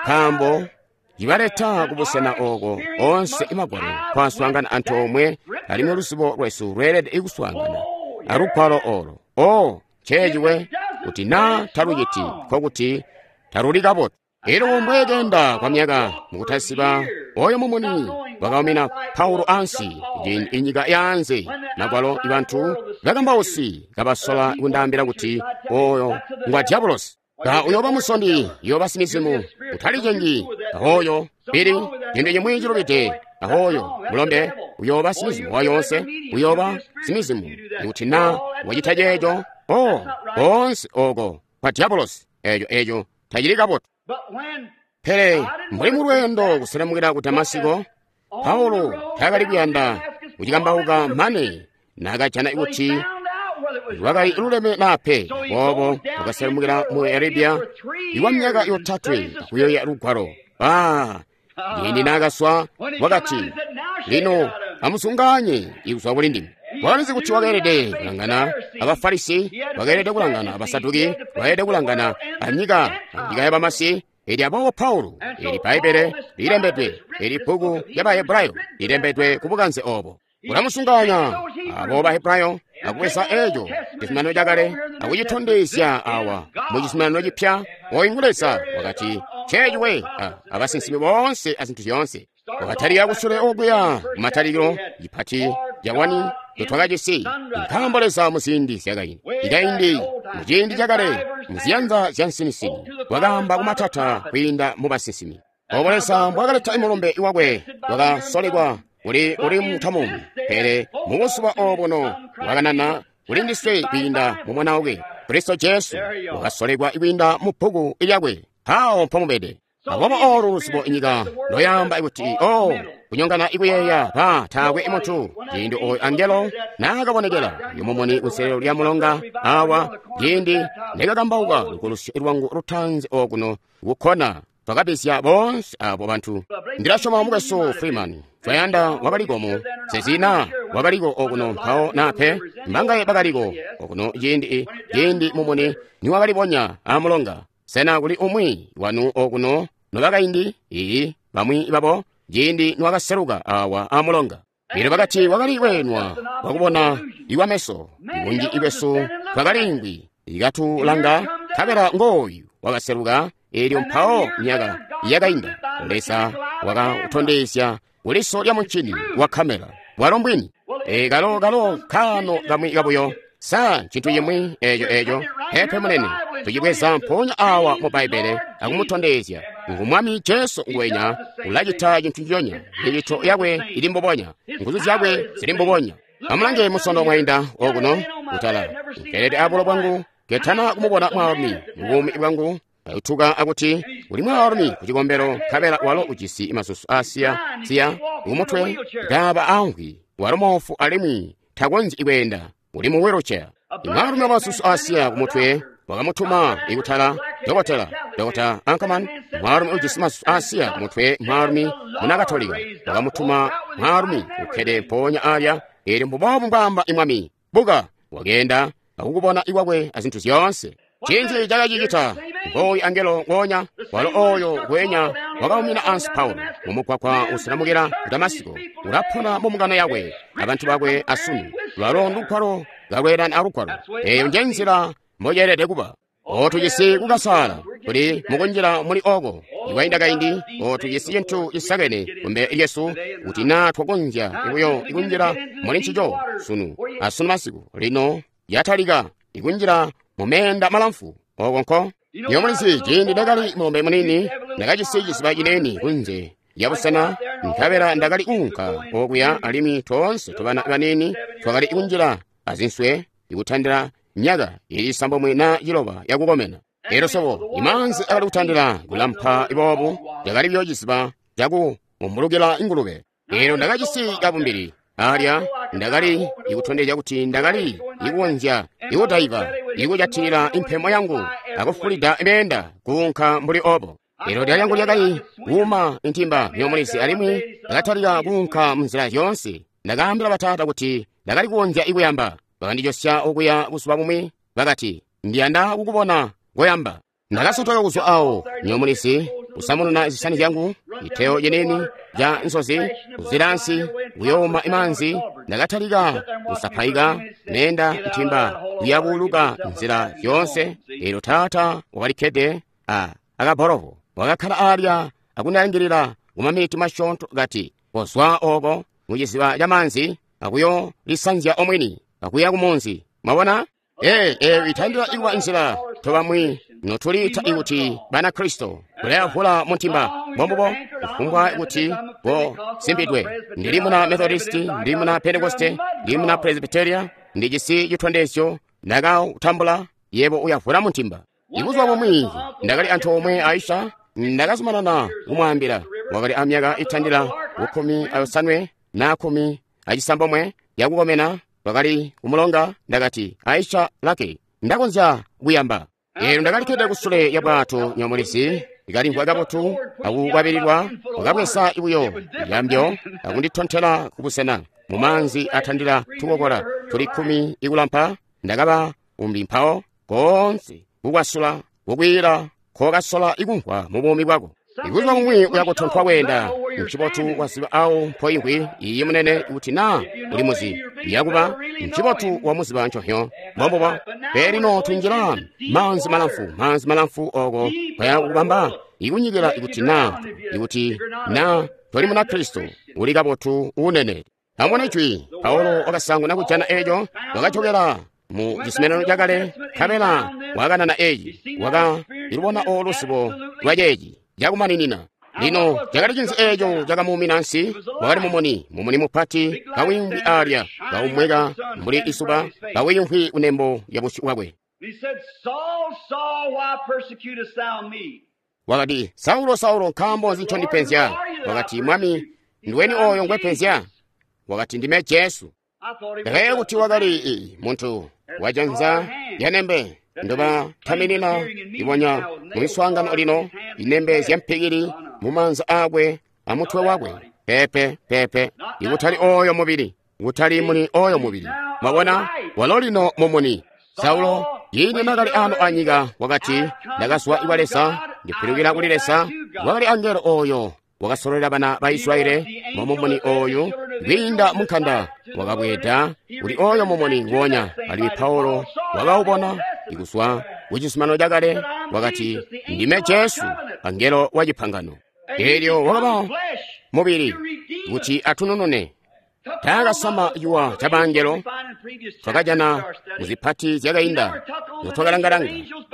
nkaambo cibaleta kubusena ooko onse imagwalo kwaswaangana antoomwe, alimwi luzibo lwesu lweelede kuswaangana alugwalo olo. O nceeciwe kuti naa taluciti nkokuti taluli kabotu. Elyo mbweekenda kwa myaka mukutasiba oyo mumuni wakaumina Paulo ansi inyika yaanze magwalo ibantu bakambausi kabasola kundaambila kuti oyo ngwa diabolosi. Ka uyooba musondi, uyooba simizimu, utalicengi ahoyo pili cintu cimwi cilubide ahoyo mulombe uyooba simizimu wayonse, uyooba simizimu kuti naa wacita ceeco. O onse oko kwa diabolosi, eco eco tacili kabotu. Pele mbuli mulweendo kuselemukira ku Damasiko, Paulo taakali kuyanda kucikambauka mane naakajana kuti lwakali luleme naa pe. Boobo wakaselemukira mu Arabia ikwa myaka yotatwe akuyoya lugwalo. Ah, ciindi naakaswa wakati, lino amusunganye ikuzwa kuli ndime. Wakalizi kuti wakeelede kulangana abafarisi, wakeelede kulangana abasaduki, wakeelede kulangana anyika anyika yabamasi. Eli aboobo Paulo, eli Bbaibbele lilembedwe, eli bbuku lya Bahebrayo lilembedwe ku bukanze obo. Ulamusunganya abo Bahebrayo akubweza eco cizuminano cakale akucitondezya awa mu cizuminano cipya. Oyu ngu Leza wakati nceeciwe abasinsimi boonse azintu zyoonse. Wakatalika kusule okuya kumatalikilo cipati cawani ncotwakajisi, nkaambo Leza muziindi zyakaindi ikaindi muciindi cakale muziyanza zya nsinisini wakaamba kumatata kwiinda mu basinsimi. Obo Leza mbwakaleta imulumbe wakwe wakasolekwa kuli uli mutamumi, pele mubuzuba obuno wakanana kuli ndiswe kwiinda mu Mwana wakwe Kristo Jesu, wakasolekwa kwiinda mu bbuku lyakwe. Awo mpomubede. Aboobo olu luzibo inyika loyamba ikuti o kunyongana ikuyeeya ba taakwe muntu. Ciindi oyo angelo naakabonekela yomumuni kunselelo lya mulonga awa, ciindi ndikakambauka lukulusyo lwangu lutaanzi okuno kukkona, twakabisya boonse abo bantu. Ndilasyoma mukwesu Freeman twayanda wakaliko mu sezina wakaliko okuno mpawo nape mbangaye bakaliko okuno ciindi ciindi mumuni niwakalibonya amulonga. Sena kuli umwi wanu okuno nobakaindi? Iyi, bamwi babo ciindi niwakaseluka awa amulonga. Lino bakati wakali weenwa wakubona iwa meso, ibunji ibwesu twakalingwi ikatulanga, nkabela ngooyu wakaseluka. Elyo mpawo myaka yakainda Leza wakatondezya kuliso lya muncini wa kamera bwalo mbwini. E, kalo kalo kaano kamwi kabuyo. Sa ncintu cimwi eco eco pepe munene tucibweza mpoonya awa mu Bbaibbele akumutondezya ngu Mwami Jesu ngwenya ulacita cintu nciconya, micito yakwe ili mbubonya, nguzu zyakwe zili mbubonya. Amulange musondo mwainda okuno kutala nkelede abulo bwangu ketana kumubona mwaalumi mubuumi bwangu ayutuka akuti uli mwaalumi ku cikombelo, nkabela walo ujisi masusu asiya siya kumutwe kaaba amvwi, walo moofu alimwi takonzyi kweenda, uli mu wheelchair. Mwaalumi wamasusu asiya kumutwe wakamutuma ikutala dokotela Dokota Ankerman, mwaalumi ujisi masusu asiya kumutwe, mwaalumi muna Katolika wakamutuma mwaalumi ukkede mpoonya alya. Elyo mbuboobu mbwaamba imwami, buka. Wakeenda akukubona ikwakwe azintu zyoonse. Ncinzi cakacicita? Ngooyu angelo ngoonya walo oyo ngwenya wakaumina ansi Paulo mumugwagwa uselamukila ku Damasiko, ulapona mu mbungano yakwe abantu bakwe asunu. Lwalo ndugwalo kalweelana alugwalo. Eyo nje nzila mboceelede kuba. O tujisi kukasaala, Tuli mukunjila muli oko. Ikwainda kaindi, o tujisi cintu cisakene kumbele lyesu, kuti naa twakonzya buyo ikunjila muli ncico sunu asunu masiku. Lino yatalika ikunjila mu meenda malamfu oko nko. Iyo mulizi, ciindi ndakali mulombe munini, ndakajisi ciziba cinene kunze yabusena, nkabela ndakali kuunka okuya, alimwi toonse tobana banini twakali kunjila azinswe ikutandila myaka ili isambomwe na ciloba yakukomena. Elyo sobo imaanzi akali kutandila kulampa boobu, yakali buyo ciziba cakuumbulukila ingulube. Elyo ndakajisi kabumbili alya, ndakali ikutondezya kuti ndakali ikukonzya ikudaiva, ikujatilila impemo yangu akufulida meenda kuunka mbuli obo. Elyo lya lyangu lyakali kuuma intimba yomulizi, alimwi ndakatalika kuunka munzila zyoonse. Ndakaambila bataata kuti ndakali kukonzya ikuyamba. Bakandijosya okuya buzuba bumwi, bakati, ndiyanda kukubona koyamba. Ndakasotoka kuzwa awo nyomulizi, kusamununa zisani zyangu, iteyo yeneni ja nsozi, kuzilansi, kuyooma imanzi. Ndakatalika kusapaika nenda ntimba kuyabuuluka nzila zyoonse. Elyo taata wakalikkede a akaborovo, wakakkala alya akundalangilila kumaminiti masyoonto, kati, kozwa oko muciziba camanzi akuyolisanzya omwini akuya kumunzi. Mwabona? Ee, eyo itandila ikuba nzila tobamwi notuliita ikuti Banakristo kulayavula muntimba. Mbombubo, kufumbwa kuti bo simbidwe. Ndili muna Methodisti, ndili muna Pentekoste, ndili muna Presbyteria, ndijisi chitondezyo ndakautambula, yebo uyavula muntimba. Ibuzuba bumwi ndakali antoomwe Aisha, ndakazumanana kumwaambila. Wakali amyaka itandila kukkumi ayosanwe na kkumi acisambomwe yakukomena. Twakali kumulonga, ndakati, Aisha lake, ndakonzya kuyamba. Elyo ndakalikkede kusule ya bwato nyomulizi, ikalimvwa kabotu akukwabililwa. Wakabweza buyo yambyo akunditontela kubusena mumaanzi atandila tukokola tuli kkumi ikulampa. Ndakaba umbi mpawo koonse kukwasula kukwiila kokasola ikumvwa mu buumi bwako. Ibuzuba bumwi uyakutontwa kweenda ncibotu waziba awo mpoimvwi iyi munene kuti naa uli muzi yakuba ncibotu wamuziba nconhyo. Mbombubo. Pele lino tunjila maanzi malamfu, maanzi malamfu oko kwaya kubamba ikunyikila ikuti naa ikuti naa toli muna Kristo uli kabotu unene. Amubone jwi Paulo wakasanguna kujana eeco, wakajokela mu cizuminano cakale, nkabela wakanana eeci, waka ilubona oluzibo lwa ceeci cakumaninina. Lino cakali cinzi eeco cakamuumina nsi? Wakali mumuni, mumuni mupati kawimvwi alya, kaumweka mbuli isuba, kawimvwi kunembo ya busyu bwakwe. Wakati, Saulo, Saulo, nkaambo nzi ncondipenzya? Wakati, Mwami, ndiweni oyo ngwepenzya? Wakati, ndime Jesu. Ndakayeeya kuti wakali muntu wajanza lyanembe ndobataminina ibonya mu miswaangano lino, inembe zyampikili mumaanza aakwe amutwe wakwe. Pepe, pepe, ikutali oyo mubili, ikutali muli oyo mubili. Mwabona, walo lino mumuni. Saulo, ciindi nakali ano anyika, wakati, ndakazwa iwa Leza, ndipilukila kuli Leza. Wakali angelo oyo wakasololela bana ba Israeli mu mumuni oyu kwiinda munkanda, wakabweeda kuli oyo mumuni nguonya. Alimwi Paulo wakaubona ikuzwa kucizuminano cakale, wakati, ndime Jesu, angelo wa cipangano. Elyo wakaba mubili kuti atununune. Taakasama ciwa ca bangelo, twakajana muzipati zyakainda notwakalangalanga.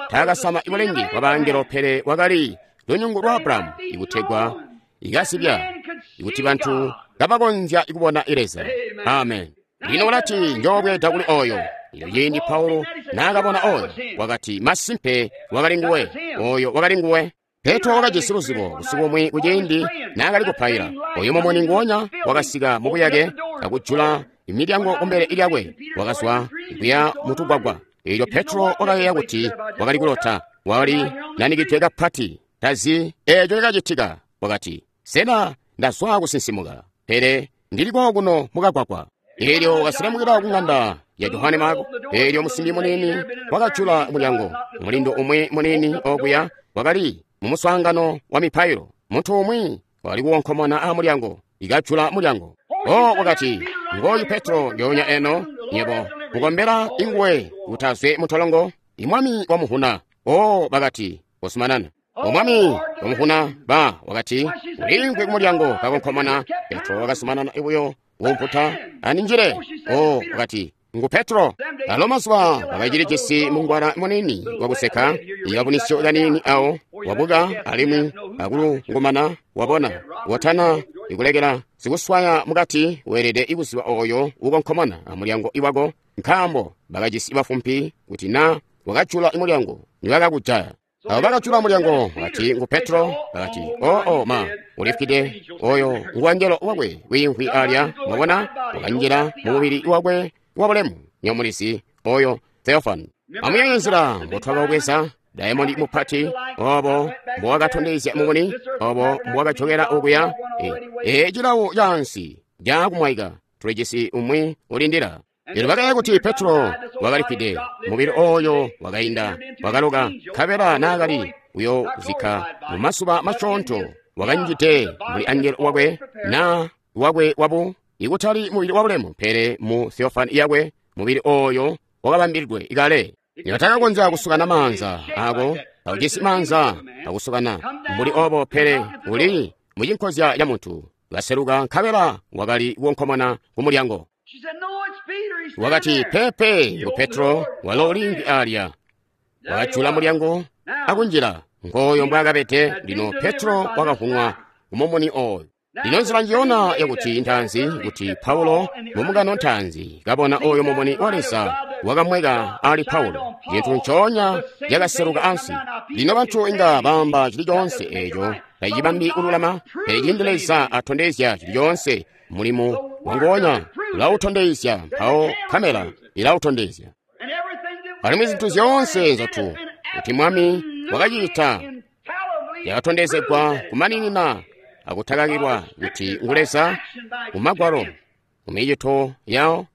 Taakasama ibulengi bwa bangelo, pele wakali lunyungu lwa Abrahamu ikutegwa ikasibya ikuti bantu kabakonzya kubona Leza. Amen. Lino ulati njoobweeda kuli oyo. Lino ciindi Paulo naakabona oyo, wakati masimpe wakali nguwe, oyo wakali nguwe. Petro wakajisi luzibo busiku bumwi kuciindi naakali kupaila. Oyo mumuni nguonya wakasika mubuyake akujula imilyango kumbele lyakwe, wakazwa kuya mutugwagwa. Elyo Petro wakayeeya kuti wakali kulota, wakali nanikidwe kapati, tazi eeco cakacitika. Wakati, sena ndazwa kusinsimuka, pele ndili kokuno mukagwagwa. Elyo wakaselemukila kung'anda ya Johane Marko. Elyo musimbi munini wakajula mulyango. Mulindo umwi munini okuya wakali mumuswaangano wa mipailo. Muntu umwi wakali kuwonkomona a mulyango, ikajula mulyango. O wakati, ngoyu Petro ndyoonya eno, nyebo mukombela inguwe kuti azwe mutolongo, imwami wamuhuna. O bakati, Kusumanana. O Mwami, wamuvuna ba wakati uliimvwi kumulyango kakonkomona. Petro wakasumanana buyo wumputa aninjile. O wakati ngu Petro. Alo mazuba wakacilijisi mungwala munini wakuseka ikabunisyo kanini awo wabuka alimwi akulungumana wabona watana ikulekela sikuswaya mukati weelede ikuziba oyo ukonkomona amulyango iwako nkaambo bakajisi bafumpi kuti na wakajula imulyango niwakakujaya. Abo bakajula mulyango wakati ngu Petro. Bakati oo oh, oh, ma ulifwide oyo nguwangelo wakwe wiimvwi alya. Mwabona wakanjila mumubili wakwe wabulemu nyomulisi oyo Theophane. Amuyeeye nzila mbotwakabweza daimondi mupati obo mbowakatondezya mumuni obo mbowakajokera okuya e cilawo cansi cakumwaika tulijisi umwi ulindila. Lino bakaya kuti Petro wakalifwide mubili oyo wakainda wakaloka nkabela naakali kuyozikka mumasuba masyoonto wakanjide muli angelo wakwe na wakwe wabu ikutali mubili wabulemu pele mu Theophane yakwe mubili oyo wakabambilidwe ikale. Nibatakakonzya kusukana maanza ako awujisi maanza akusukana mbuli obo pele uli mucinkozya ya muntu kaseluka nkabela wakali kukonkomona ku mulyango. Wakati pepe ngu Petro walo uliimvwi alya. Wakajula mulyango akunjila ngoyo mbwaakabede. Lino Petro wakavunwa kumumuni oyo. Lino nzila njiyona yakuti ntanzi kuti Paulo mumungano ntanzi kabona oyo mumuni wa Leza wakamweka ali Paulo cintu nconya cakaseluka ansi. Lino bantu inga baamba cili coonse eeco tacibambi kululama, pele cindi Leza atondezya cili coonse mulimu wangonya ulautondezya mpawo kamera ilautondezya. Alimwi zintu zyoonse nzotu kuti Mwami wakacita yakatondezegwa kumaninina akutakakilwa kuti ngu Leza mumagwalo mumicito yawo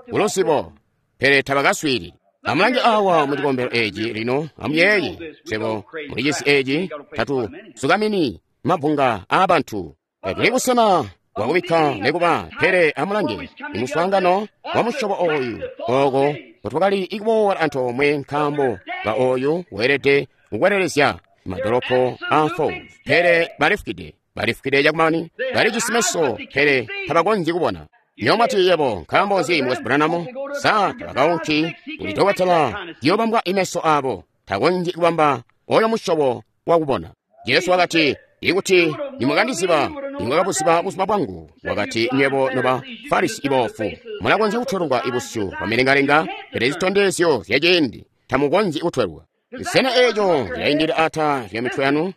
kuluzibo, pele tabakaswiili. Amulange awa mu cikombelo eeci lino amuyeeye swebo muli cisi eeci tatu sukamini mabunga aabantu tuli busena bwakubikka nekuba, pele amulange imuswaangano wa musyobo oyu oko kotwakali ikuboola antoomwe nkaambo ka oyu weelede kukwelelezya madolopo a Falls, pele balifukide balifukide cakumani balijisi meso pele tabakonzyi kubona. Nyomwati yebo nkaambo nzi Mukwesu Branham sa tabakaunki kuli dokotela yobambwa imeso abo takonzyi kubamba oyo musyobo wakubona. Jesu wakati ikuti nimwakandiziba nimwakabuziba buzuba bwangu. Wakati nywebo noba Farisi ibofu mulakonzya kutwelwa ibusyu bwamilengalenga pele zitondezyo zyaciindi tamukonzyi kutwelwa. Sena eeco cilaindila ata lya mitwe yanu?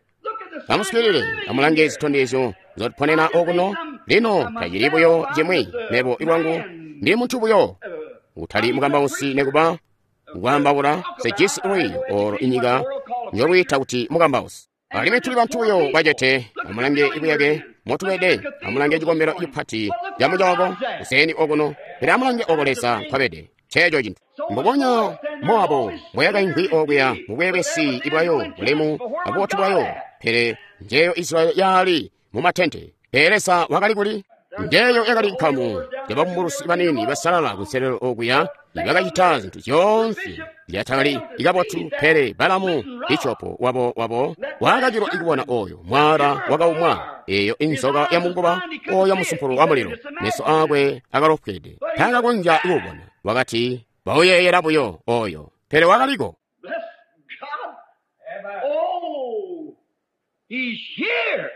Amuswiilile amulange zitondezyo nzotuponena okuno. Lino tacili buyo cimwi mebo ilwangu ndi muntu buyo utali mukambausi nekuba kwaambaula sejisi lwiiyo olo inyika njolwiita kuti mukambausi. Alimwi tuli bantu buyo bacete. Amulange ibuyake motubede, amulange cikombelo cipati camucooko kuseni okuno, pele amulange oko Leza nkwabede. Nceeco cintu mbubonya Mowabu mbweyakaimvwi okuya mubwebesi ibwayo bulemu abubotu bwayo, pele njeyo Israeli yaali mumatente. Pele Leza wakali kuli? Njeyo yakali nkamu yababumbulusi banini basalala kunselelo okuya ibakacita zintu zyoonse zyatakali ikabotu, pele Balamu icopo wabo wabo wakacilwa ikubona oyo mwala wakaumwa eyo inzoka ya munguba oyo musumpulu wa mulilo. Meso akwe akalofwede takakonzya kuubona. Wakati bauyeeyela buyo oyo, pele wakaliko. Bless God. Oh, he's here.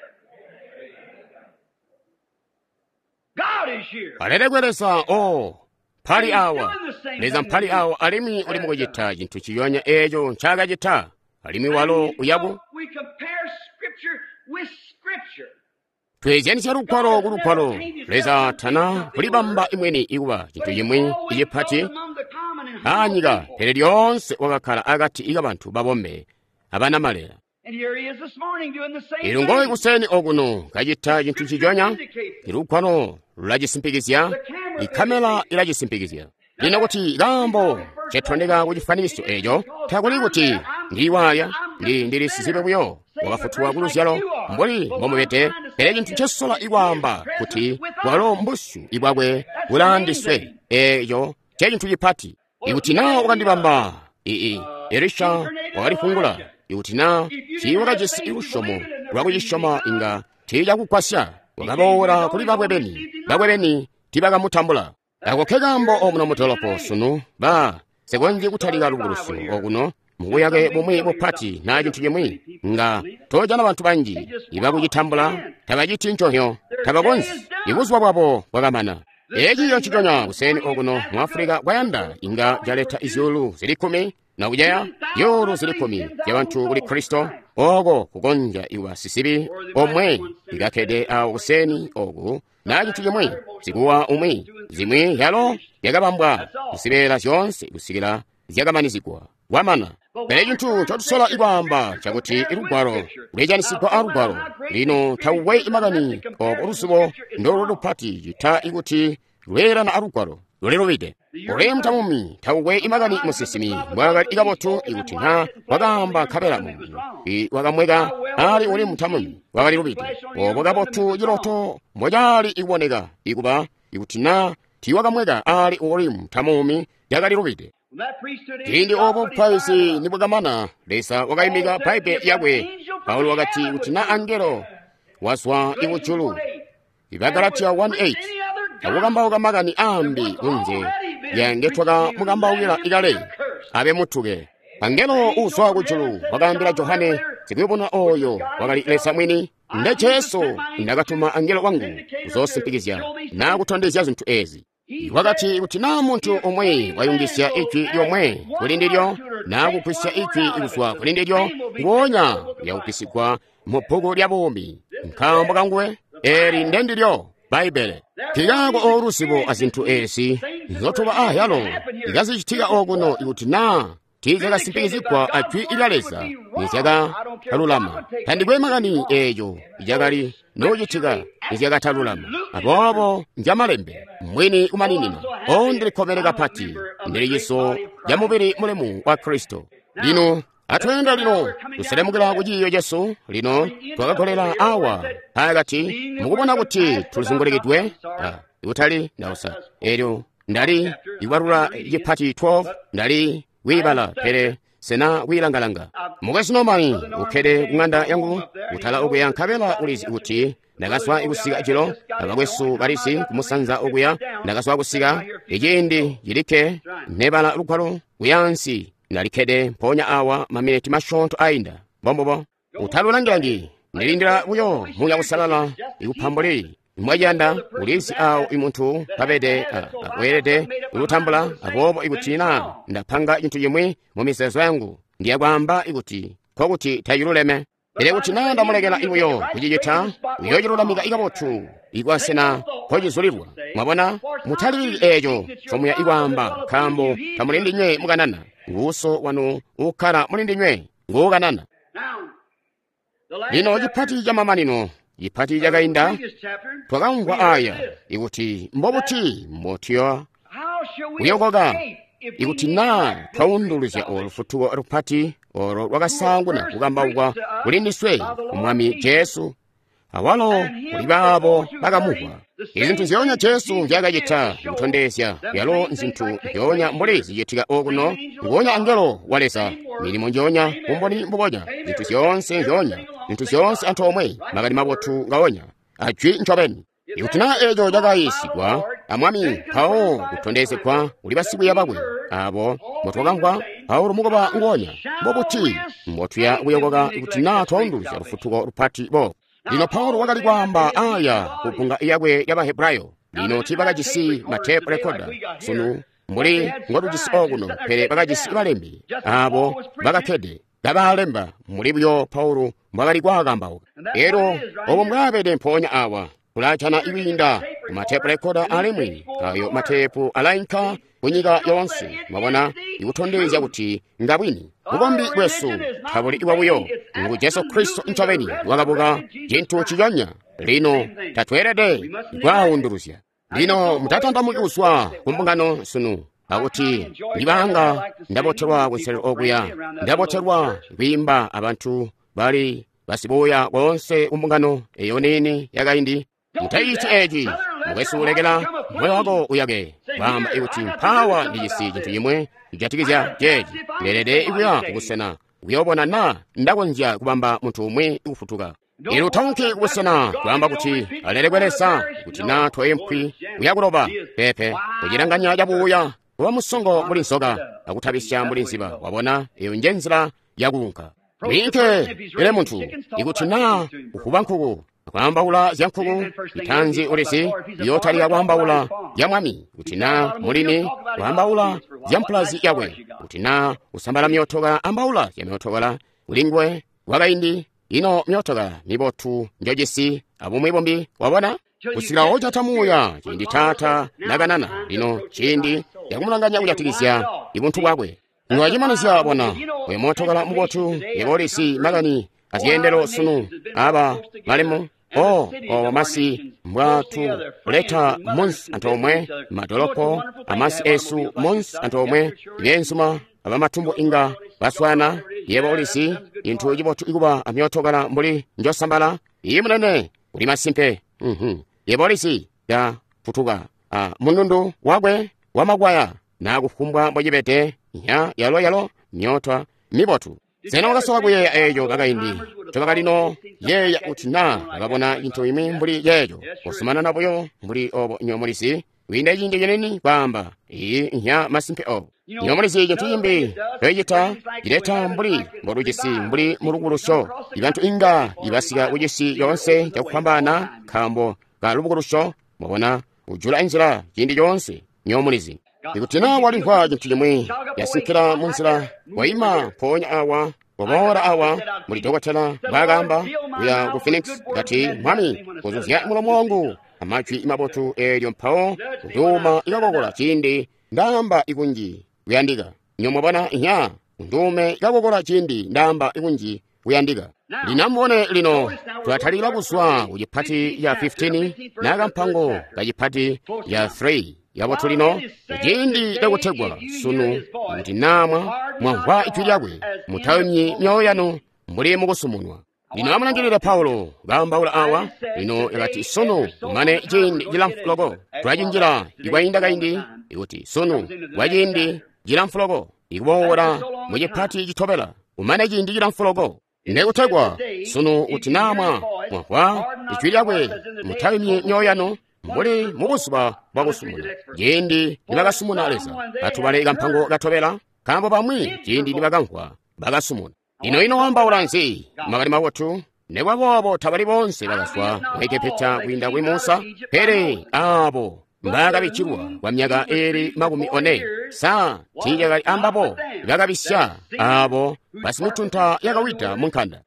God is here. Alelekwe Leza. O mpali awa Leza mpali awa alimwi uli mukucita cintu ciyonya eeco ncaakacita alimwi walo uyaku. We compare scripture with scripture. Tweezyanisya lugwalo ku lugwalo. Leza tana kulibamba imweni ikuba cintu cimwi icipati aanyika, pele lyoonse wakakkala akati kabantu babombe abanamalela. And here he is this morning doing the same Ilo ngoyi thing. kuseni okuno kacita cintu ciconya, ilugwalo lulacisimpikizya, ikamela ilacisimpikizya. Lino kuti kaambo cetondeka ku cifanikiso eco takuli kuti ndiwaya ndi ndilisizibe buyo wakafutulwa ku luzyalo mbuli mbomubede, pele cintu ncesola ikwaamba kuti bwalo mbusyu ibwakwe bulaandiswe eco ncecintu cipati. Ikuti naa wakandibamba ii Elisha wakalifungula Ikuti na tiiwakajisi lusyomo lwakucisyoma inga tiicakugwasya. Wakaboola kuli bakwe beni, bakwe beni tiibakamutambula. Ako kekaambo omuno mudolopo sunu ba sikonzyi kutalika lubukulusyo okuno mubuyake bumwi bupati na cintu cimwi nga tojana bantu banji ibakucitambula tabaciti nconyo tabakonzyi. Ibuzuba bwabo bwakamana. Eciyo nciconya kuseni okuno mu Afrika kwayanda inga caleta izyuulu zili kkumi na kuceya zyuulu zili kkumi zyabantu kuli Kristo oko kukonzya iwa sisibi omwe ikakkede awo kuseni oku na cintu cimwi zikuwa umwi zimwi yalo yakabambwa kuzibeela zyoonse kusikila zyakamanizigwa kwamana. Pele cintu ncotusola ikwaamba ncakuti ilugwalo lwejanisigwa alugwalo lino tawuwe imakani obo luzubo ndoluli lupati cita ikuti lweelana alugwalo lulilubide. Ulemu tamumi tawuwe imakani musinsimi mbwaakali ikabotu ikuti na wakaamba nkabela mumi wakamweka ali ulemu tamumi wakali lubide. Obo kabotu ciloto mbocali ikuboneka ikuba ikuti na tiiwakamweka ali ulemu tamumi yakali lubide. Ciindi obo bupaizi nibwakamana, Leza wakayimika Bbaibbele yakwe. Paulo wakati kuti na angelo wazwa ikujulu, Ibagalatiya one eight, akukambauka makani aambi kunze yange twakamukambaukila ikale, abe mutuke. Angelo uzwa kujulu wakaambila Johane sikuyubununa oyo wakali Leza mwini, nde Jesu ndakatuma angelo wangu kuzoosimpikizya na kutondezya zintu ezi. Wakati kuti na muntu umwe wayungizya ijwi lyomwe kuli ndilyo na kugwisya ijwi kuzwa kuli ndilyo, nguonya yakugwisigwa mu bbuku lya buumi. Nkaambo kanguwe eli ndendilyo Bbaibbele. Nkikaako oluzibo azintu ezi nzotuba ahyalo ikazicitika okuno ikuti na tiizyakasimpikizigwa ajwi lya Leza nizyakatalulama. Tandikwe makani eeco icakali nocitika nizyakatalulama. Aboobo njamalembe mwini kumaninina. O ndilikkomene kapati, ndili ciso ca mubili mulemu wa Kristo. Lino atweenda lino tuselemukila ku ciiyo cesu. Lino twakagolela awa pakati mukubona kuti tulizungulikidwe kutali ndausa elyo ndali ikwalula cipati twelve ndali kwiibala pele sena kwiilangalanga. Mukwesu Norman ukkede kung'anda yangu kutala okuya nkabela ulizi kuti ndakazwa kusika jilo abakwesu balisi kumusanza okuya ndakazwa kusika iciindi cilikke nebala lugwalo kuyansi ndalikkede mpoonya awa maminiti masyoonto ainda. Mbombubo utalulangilangi ndilindila buyo Muuya Uusalala ikupambuli mwaciyanda ulizi awo imuntu pabede weelede kulutambula. Aboobo ikuti na ndapanga cintu cimwi mu mizeezo yangu ndiyakwaamba ikuti nkokuti taciluleme. Pele kuti na ndamulekela ibuyo kucicita uyoocilulamika ikabotu ikwasena nkocizulilwa. Mwabona, mutalilili eeco ncomuya ikwaamba nkaambo tamulindinywe mukanana, nguuso wanu uukkala mulindinywe nguukanana. Lino cipati camamanino cipati cakainda twakamvwa aya ikuti mbobuti mbotuya kuyokoka ikuti na twaunduluzya olu lufutuko lupati olo lwakasaanguna kukambaukwa kuli ndiswe Mwami Jesu awalo kuli baabo bakamumvwa. Izintu nzyoonya Jesu nzyaakacita kutondezya yalo nzintu nzyoonya mbuli zicitika okuno, nguonya angelo wa Leza, milimo njoonya, bumboni mbubonya, zintu zyoonse nzyoonya, zintu zyoonse antoomwe, makani mabotu ngaonya, ajwi ncobeni. Ikuti na eeco cakayiisigwa amwami mpawo kutondezegwa kuli basikwiiya bakwe abo mbotwakamvwa Paulo mukuba nguonya, mbobuti mbotuya kuyokoka ikuti na twaunduluzya lufutuko lupati bo. Lino Paulo wakali kwaamba aya ku bbunga yakwe ya Bahebrayo. Lino tiibakajisi matepu rekoda sunu mbuli ngotujisi okuno, pele bakajisi balembi abo bakakkede kabalemba mbuli buyo Paulo mbwakali kwaakambauka. Elyo obo mbwaabede mpoonya awa kulajana ikwiinda ku matepu rekoda alimwi ayo matepu alainka kunyika yoonse. Mwabona, ikutondezya kuti ngabwini. Bukombi bwesu tabuli bwabuyo, ngu Jesu Kristo ncobeni wakabuka cintu ciconya. Lino tatweelede kwaawunduluzya. Lino mutatantamuki kuzwa ku mbungano sunu akuti ndibanga ndabotelwa kunselelo okuya, ndabotelwa kwiimba abantu bali basibuya koonse ku mbungano eyo niini yakaindi. Mutayici eci, mukwesu, lekela moyo wako uyake kwaamba ikuti mpawa ndijisi cintu cimwe kujatikizya ceeci. Ndeelede kuya kubusena Kuyobona na ndakonzya kubamba muntu umwi kufutuka. Ino utaunki kubusena kwaamba kuti alelekwe Leza kuti na toempwi uyakuloba pepe kucilanganya cabuuya kuba musongo mbuli nzoka akutabisya mbuli nziba. Wabona, eyo nje nzila yakuunka. Wiinke ele muntu ikuti na uhuba nkuku kwaambaula zya nkuku itanzi ulisi iyotalika kwaambaula ya mwami kuti na mulimi kwaambaula zya mpulazi yakwe kuti na usambala myotoka ambaula zya myotoka kulingwe kwakaindi ino myotoka mibotu njojisi abumwi bumbi. Wabona, kusikila ojata muuya ciindi taata nakanana lino ciindi yakumulanganya kujatikizya ibuntu bwakwe. Ngwacimanizya bona oyo mootokala mubotu yebolisi makani azyeendelo sunu aba malemu o obo masi mbwatu leta munsi antoomwe madolopo amasi esu munsi antoomwe ibyensuma abamatumbu inga baswana. Yebo ulisi inthu cibotu ikuba amyootokala mbuli njosambala iyi munene uli masimpe. Mhm yebo ulisi ya futuka a mundundu wakwe wamakwaya nakufumbwa mbocibede nya yalo yalo myota mibotu. Sena wakasoka kuyeeya eeco kakaindi ncobakalino yeeya kuti na bakabona inthu imwi mbuli yeeco kusumanana buyo mbuli obo nyomulisi kwiinda ciindi cinini kwaamba iyi nya masimpe obo. Nyomulisi cintu cimbi coicita cileta mbuli mbolucisi mbuli mulubukulusyo. Ibantu inga ibasika kucisi yoonse cakufwambaana nkaambo ka lubukulusyo. Mwabona, ujula inzila ciindi coonse nyomulizi. Ikuti na walimvwa cintu cimwi yasinkila munzila waima mpoonya awa waboola awa muli dokotela mbwaakaamba kuya ku Phoenix kati mwami kuzuzya mulomo wangu amajwi mabotu eelyo mpawo nduuma ikakokola ciindi ndaamba ikunji kuyandika. Nyomwabona nya nduume ikakokola ciindi ndaamba ikunji kuyandika. Lino lino tulatalika kuzwa ku cipati ya fifteen nakampango ka cipati ya three yabotu lino ciindi cakutegwa sunu kuti namwa mwamvwa ijwi lyakwe mutawimyi myoyo yanu mbuli mukusumunwa. Lino amulangilile Paulo kaambaula awa lino yakati sunu kumane ciindi cilamfu loko tulacinjila ikwainda kaindi ikuti sunu kwa ciindi cilamfu loko ikuboola mu cipati citobela kumane ciindi cilamfu loko ndekutegwa sunu kuti namwa mwamvwa ijwi lyakwe mutawimyi myoyo yanu mbuli mubuzuba bwakusumuna ciindi nibakasumuna Leza. Atubale kampango katobela nkaambo bamwi ciindi nibakamvwa bakasumuna. Ino ino wambaula nzi makani mabotu? Nekwa boobo tabali bonse bakazwa mu Egepita kwiinda kuli Musa, pele aabo mbakabicilwa kwa myaka eeli makumi one sa tiicakali ambabo bakabisya aabo basimutunta yakawida mu nkanda.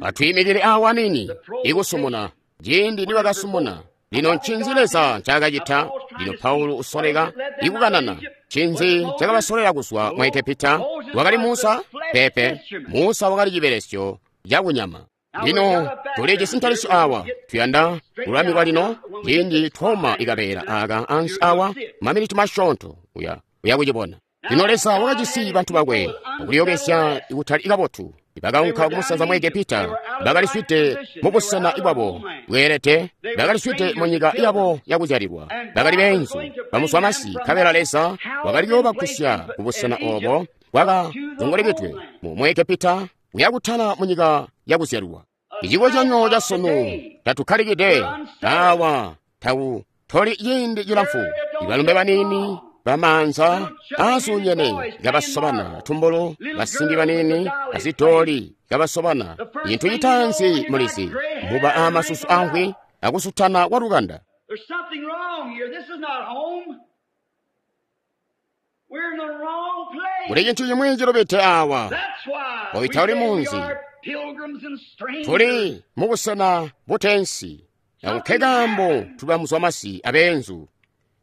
Atwiimikile awa nini ikusumuna ciindi nibakasumuna. Lino ncinzi Leza ncaakacita? Lino Paulo usoleka ikukanana. Ncinzi cakabasoleka kuzwa mu Egepita? Wakali Musa? Pepe. Musa wakali cibelesyo cakunyama. Lino tulijisi ntalisyo awa tuyanda kulamikwa lino ciindi twoma ikabeela aka ansi awa maminiti masyoonto uya uya kucibona. Lino Leza wakajisi bantu bakwe akulyokesya ikutali kabotu. Bakaunka kumusanza mu Egepita, bakaliswide mubusena bwabo bweelede, bakaliswide mu nyika yabo yakuzyalilwa, bakali beenzu bamuswamasi. Nkabela Leza wakali kuyoobakusya kubusena obo bwakazungulikidwe mu Egepita kuyakutala mu nyika yakuzyalilwa. Icikozyanyo ca sunu tatukkalikide awa tawu toli ciindi cilamfu. Ibalumbe banini bamanza aasunyene kabasobana tumbulu, basimbi banini azidoli kabasobana. Inthu citanzi mulizi muba amasusu ankhwi akusutana kwa lukanda. Kuli chinthu chimwe chilopete awa oita uli munzi tuli mubusena butensi akukhekambo tubamuzwamasi abenzu.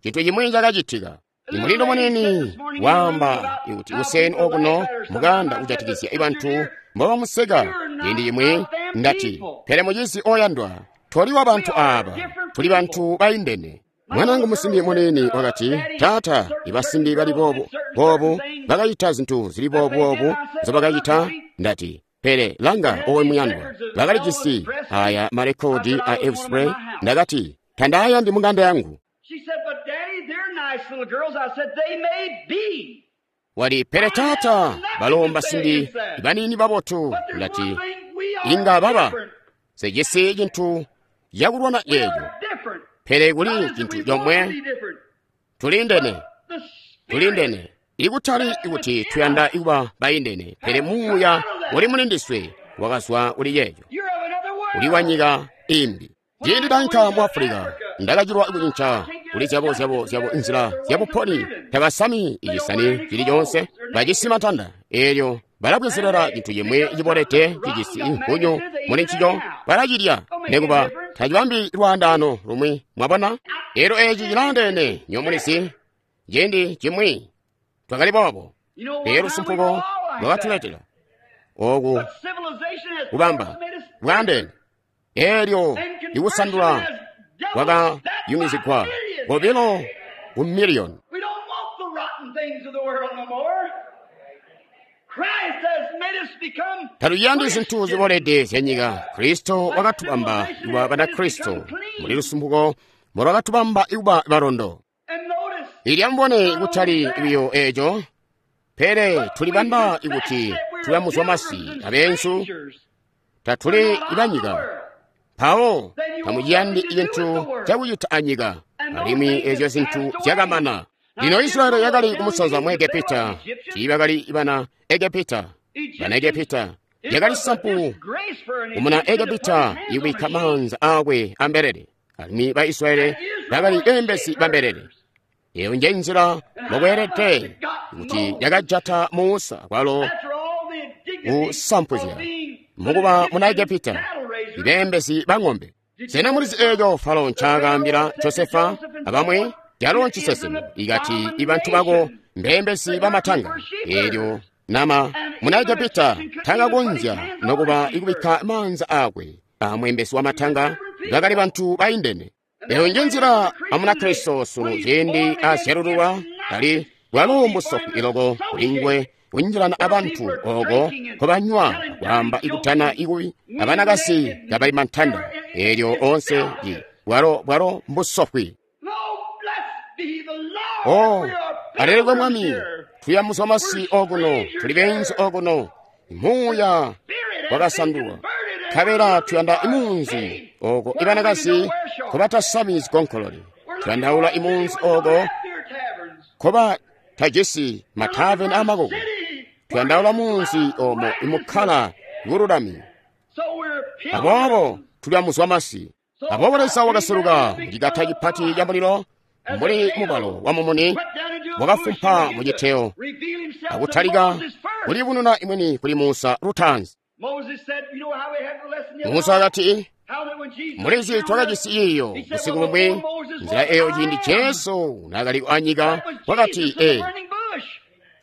Chinthu chimwe chakachitika. Imulindo munini wamba ikuti useni okuno mukanda kujatikizya ibantu mbobamuseka. Ciindi chimwe ndati pele muchizi oyandwa toli wa bantu aba, tuli bantu baindene. Mwanangu musimbi munini wakati, taata, ibasimbi bali bobu bobu bakacita zinthu zili bobubobu zobakacita. Ndati pele langa owe muyandwa, bakalijisi aya marekodi a Elvis Presley. Ndakati tandayandi munganda yangu. She said, but Daddy, they're nice little girls. I said, they may be. Wali, pele taata, balo mbasimbi baniini babotu. Ndati, inga baba sejisi cintu yakulwana yeeyo, pele kuli cintu comwe, tulindene, tulindene. Ikutali ikuti tuyanda ikuba baindene, pele muuya uli mulindiswe wakazwa kuli yeeyo, uli wa nyika imbi. Ciindi ndainka mu Afulika, ndakacilwa kucinca kuli zyabo zyabo zyabo nzila zyabuponi. Tabasami icisani cili coonse, bajisi matanda eelyo balabwezelela cintu cimwi cibolede cijisi inkunyu muli ncico, balacilya nekuba tacibambi lwaandaano lumwi. Mwabona? Eelyo eeci cilaandeene nyomulizi. Ciindi cimwi twakali boobo, pele lusumpuko lwakatuletela oku kubamba bwaandeene. Eelyo ikusandula kwakayumizigwa kobilo ku miliyoni. Tatuyandi zintu zibolede zyanyika. Kristo wakatubamba kuba Banakristo muli lusumpuko molwakatubamba kuba balondo. Ilyambone kutali biyo eeco, pele tulibamba ikuti tube masi abeenzu, tatuli ibanyika. Mpawo tamuciyandi cintu cakucita anyika, alimwi eezyo zintu zyakamana. Lino Israeli yakali kumusanza mu Egepita, tiibakali bana Egepita. Bana Egepita yakali sampu kumuna Egepita ikubikka maanza aakwe ambelele, alimwi ba Israeli bakali beembezi bambelele. Eyo nje nzila mokweelede kuti yakajata Musa kwalo kusampuzya mukuba muna Egepita, ibeembezi ba ng'ombe. Sena mulizi eeco Falo ncaakaambila Josefa abamwi? Calo nciseseme ikati ibantu bako mbeembezi bamatanga. Eelyo nama muna Egepita takakonzya nokuba ikubikka maanza aakwe amweembezi wamatanga, bakali bantu baindene. Eyo nje nzila amuna Kristo sunu ciindi azyalululwa ali bwalo mbusofu iloko kulingwe kunjilana abantu oko nkobanywa kwaamba ikutana ikubi abanakasi kabali mantanda. Eelyo onse bwalo bwalo mbusofwi. Oh, alelekwe Mwami, tuyamuzwa masi okuno, tuli beenzu okuno, muuya wakasandulwa. Nkabela tuyanda imunzi oko ibanakazi nkobatasami zigonkolole. Tuyandaula imunzi oko nkobatajisi mataveni amakoko. Tuyandaula munzi omo imukkala bululami. Aboobo tuli masi. Aboobo Leza wakaseluka mucikata cipati ca mulilo mbuli mubalo wa mumuni, wakafumpa muciteyo akutalika kulibununa imweni kuli Musa lutaanzi. Musa akati, mulizi twakajisi iyo busiku bumwi nzila eyo ciindi Jesu naakali anyika wakati, e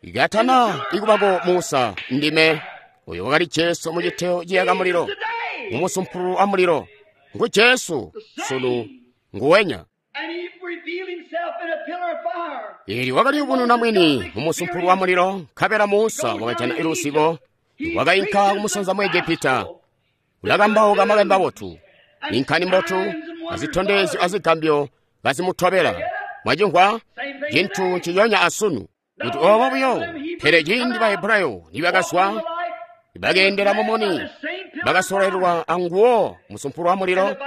ikatana ikubako Musa ndime. Uyo wakali Jesu muciteyo ciyaka mulilo, mumusumpulu wa mulilo. Ngu Jesu sunu nguwenya. Ili wakaliyubununa mwini mumusumpulu wa mulilo. Nkabela Musa wakajana ilusibo, wakainka kumusanza mu Egepita, ulakambauka makani mabotu, inkani mbotu, azitondezyo azigambyo kazimutobela. Mwacimvwa cintu nciyonya asunu kuti obo buyo. Pele ciindi Bahebrayo nibakazwa, bakeendela mumuni, bakasololelwa anguwo musumpulu wa mulilo.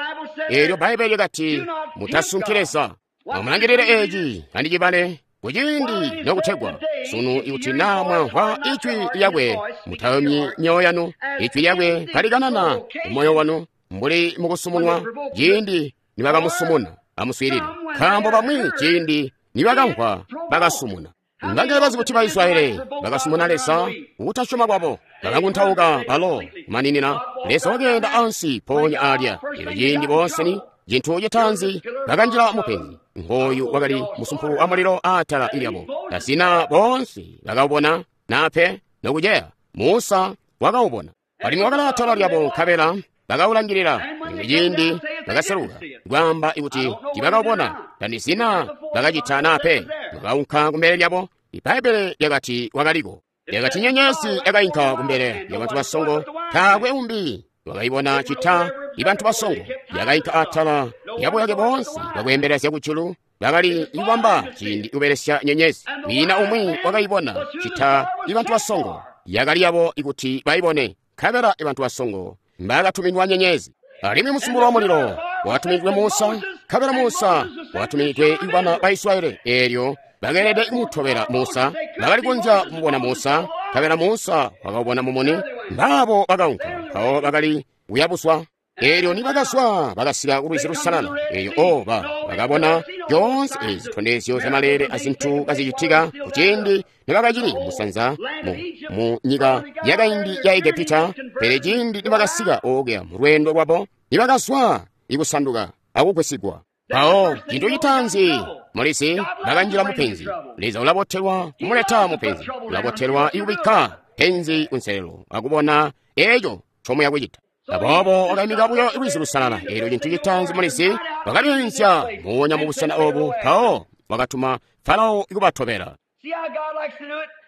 Eelyo Bbaibele likati, mutasunki Leza. Amulangilile eeci andicibale kuciindi nokutegwa sunu ikuti naa mwamvwa ijwi lyakwe, mutayumyi myoyo yanu. Ijwi lyakwe kalikanana mumoyo wanu mbuli mukusumunwa ciindi nibakamusumuna. Amuswiilile, nkaambo bamwi ciindi nibakamvwa bakasumuna. Ngangele bazi kuti Baisraeli bakasumuna Leza kukutasyoma kwabo, bakakuntauka balo kumaninina. Leza wakeenda ansi mpoonya alya. Eelyo ciindi boonseni cintu citaanzi bakanjila mupenzi. Ngooyu wakali musumpulu wa mulilo aatala lyabo. Tasina boonse bakawubona nape nokuceya. Musa wakawubona, alimwi wakali aatala lyabo, nkabela bakawulangilila. Limwi ciindi bakaseluka kwaamba ikuti tibakawubona, tandizina bakacita nape. Bakaunka kumbele lyabo. Ibbaibele lyakati wakaliko. Lyakati nyenyezi yakainka kumbele lyabantu basongo, taakwe umbi wakayibona cita ibantu basongo. Yakainka atala yabuyake boonse bakweembelezya kujulu, Bakali kubamba ciindi kubelesya nyenyezi. Kwiina umwi wakaibona cita ibantu basongo. Yakali yabo ikuti baibone. Nkabela ibantu basongo mbakatuminwa nyenyezi. Alimwi musumpulu wa mulilo watuminidwe Musa. Nkabela Musa watuminidwe ibana ba Israyeli. Eelyo bakeelede kumutobela Musa. Bakali kunja kumubona Musa. Nkabela Musa wakabona mumuni. Mbabo bakaunka. Mpawo bakali kuyabuswa. Eelyo nibakazwa bakasika ku lwizi lusalala. Eeyo o ba bakabona zyoonse ezi zitondezyo zyamalele azintu kazicitika kuciindi nibakacili musanza mu, mu nyika yakaindi ya Egepita. Pele ciindi nibakasika okuya mu lweendo lwabo, nibakazwa ikusanduka akugwisigwa. Mpawo cintu citaanzi mulisi bakanjila mupenzi. Leza ulabotelwa kumuleta mupenzi, ulabotelwa ikubikka penzi kunselelo akubona eeco ncomuya kucita. Aboobo wakaimika buyo lwizi lusalala. Eelyo cintu citaanzi mulisi wakalyeenzya moonya mubusena obu. Mpawo wakatuma Farao kubatobela.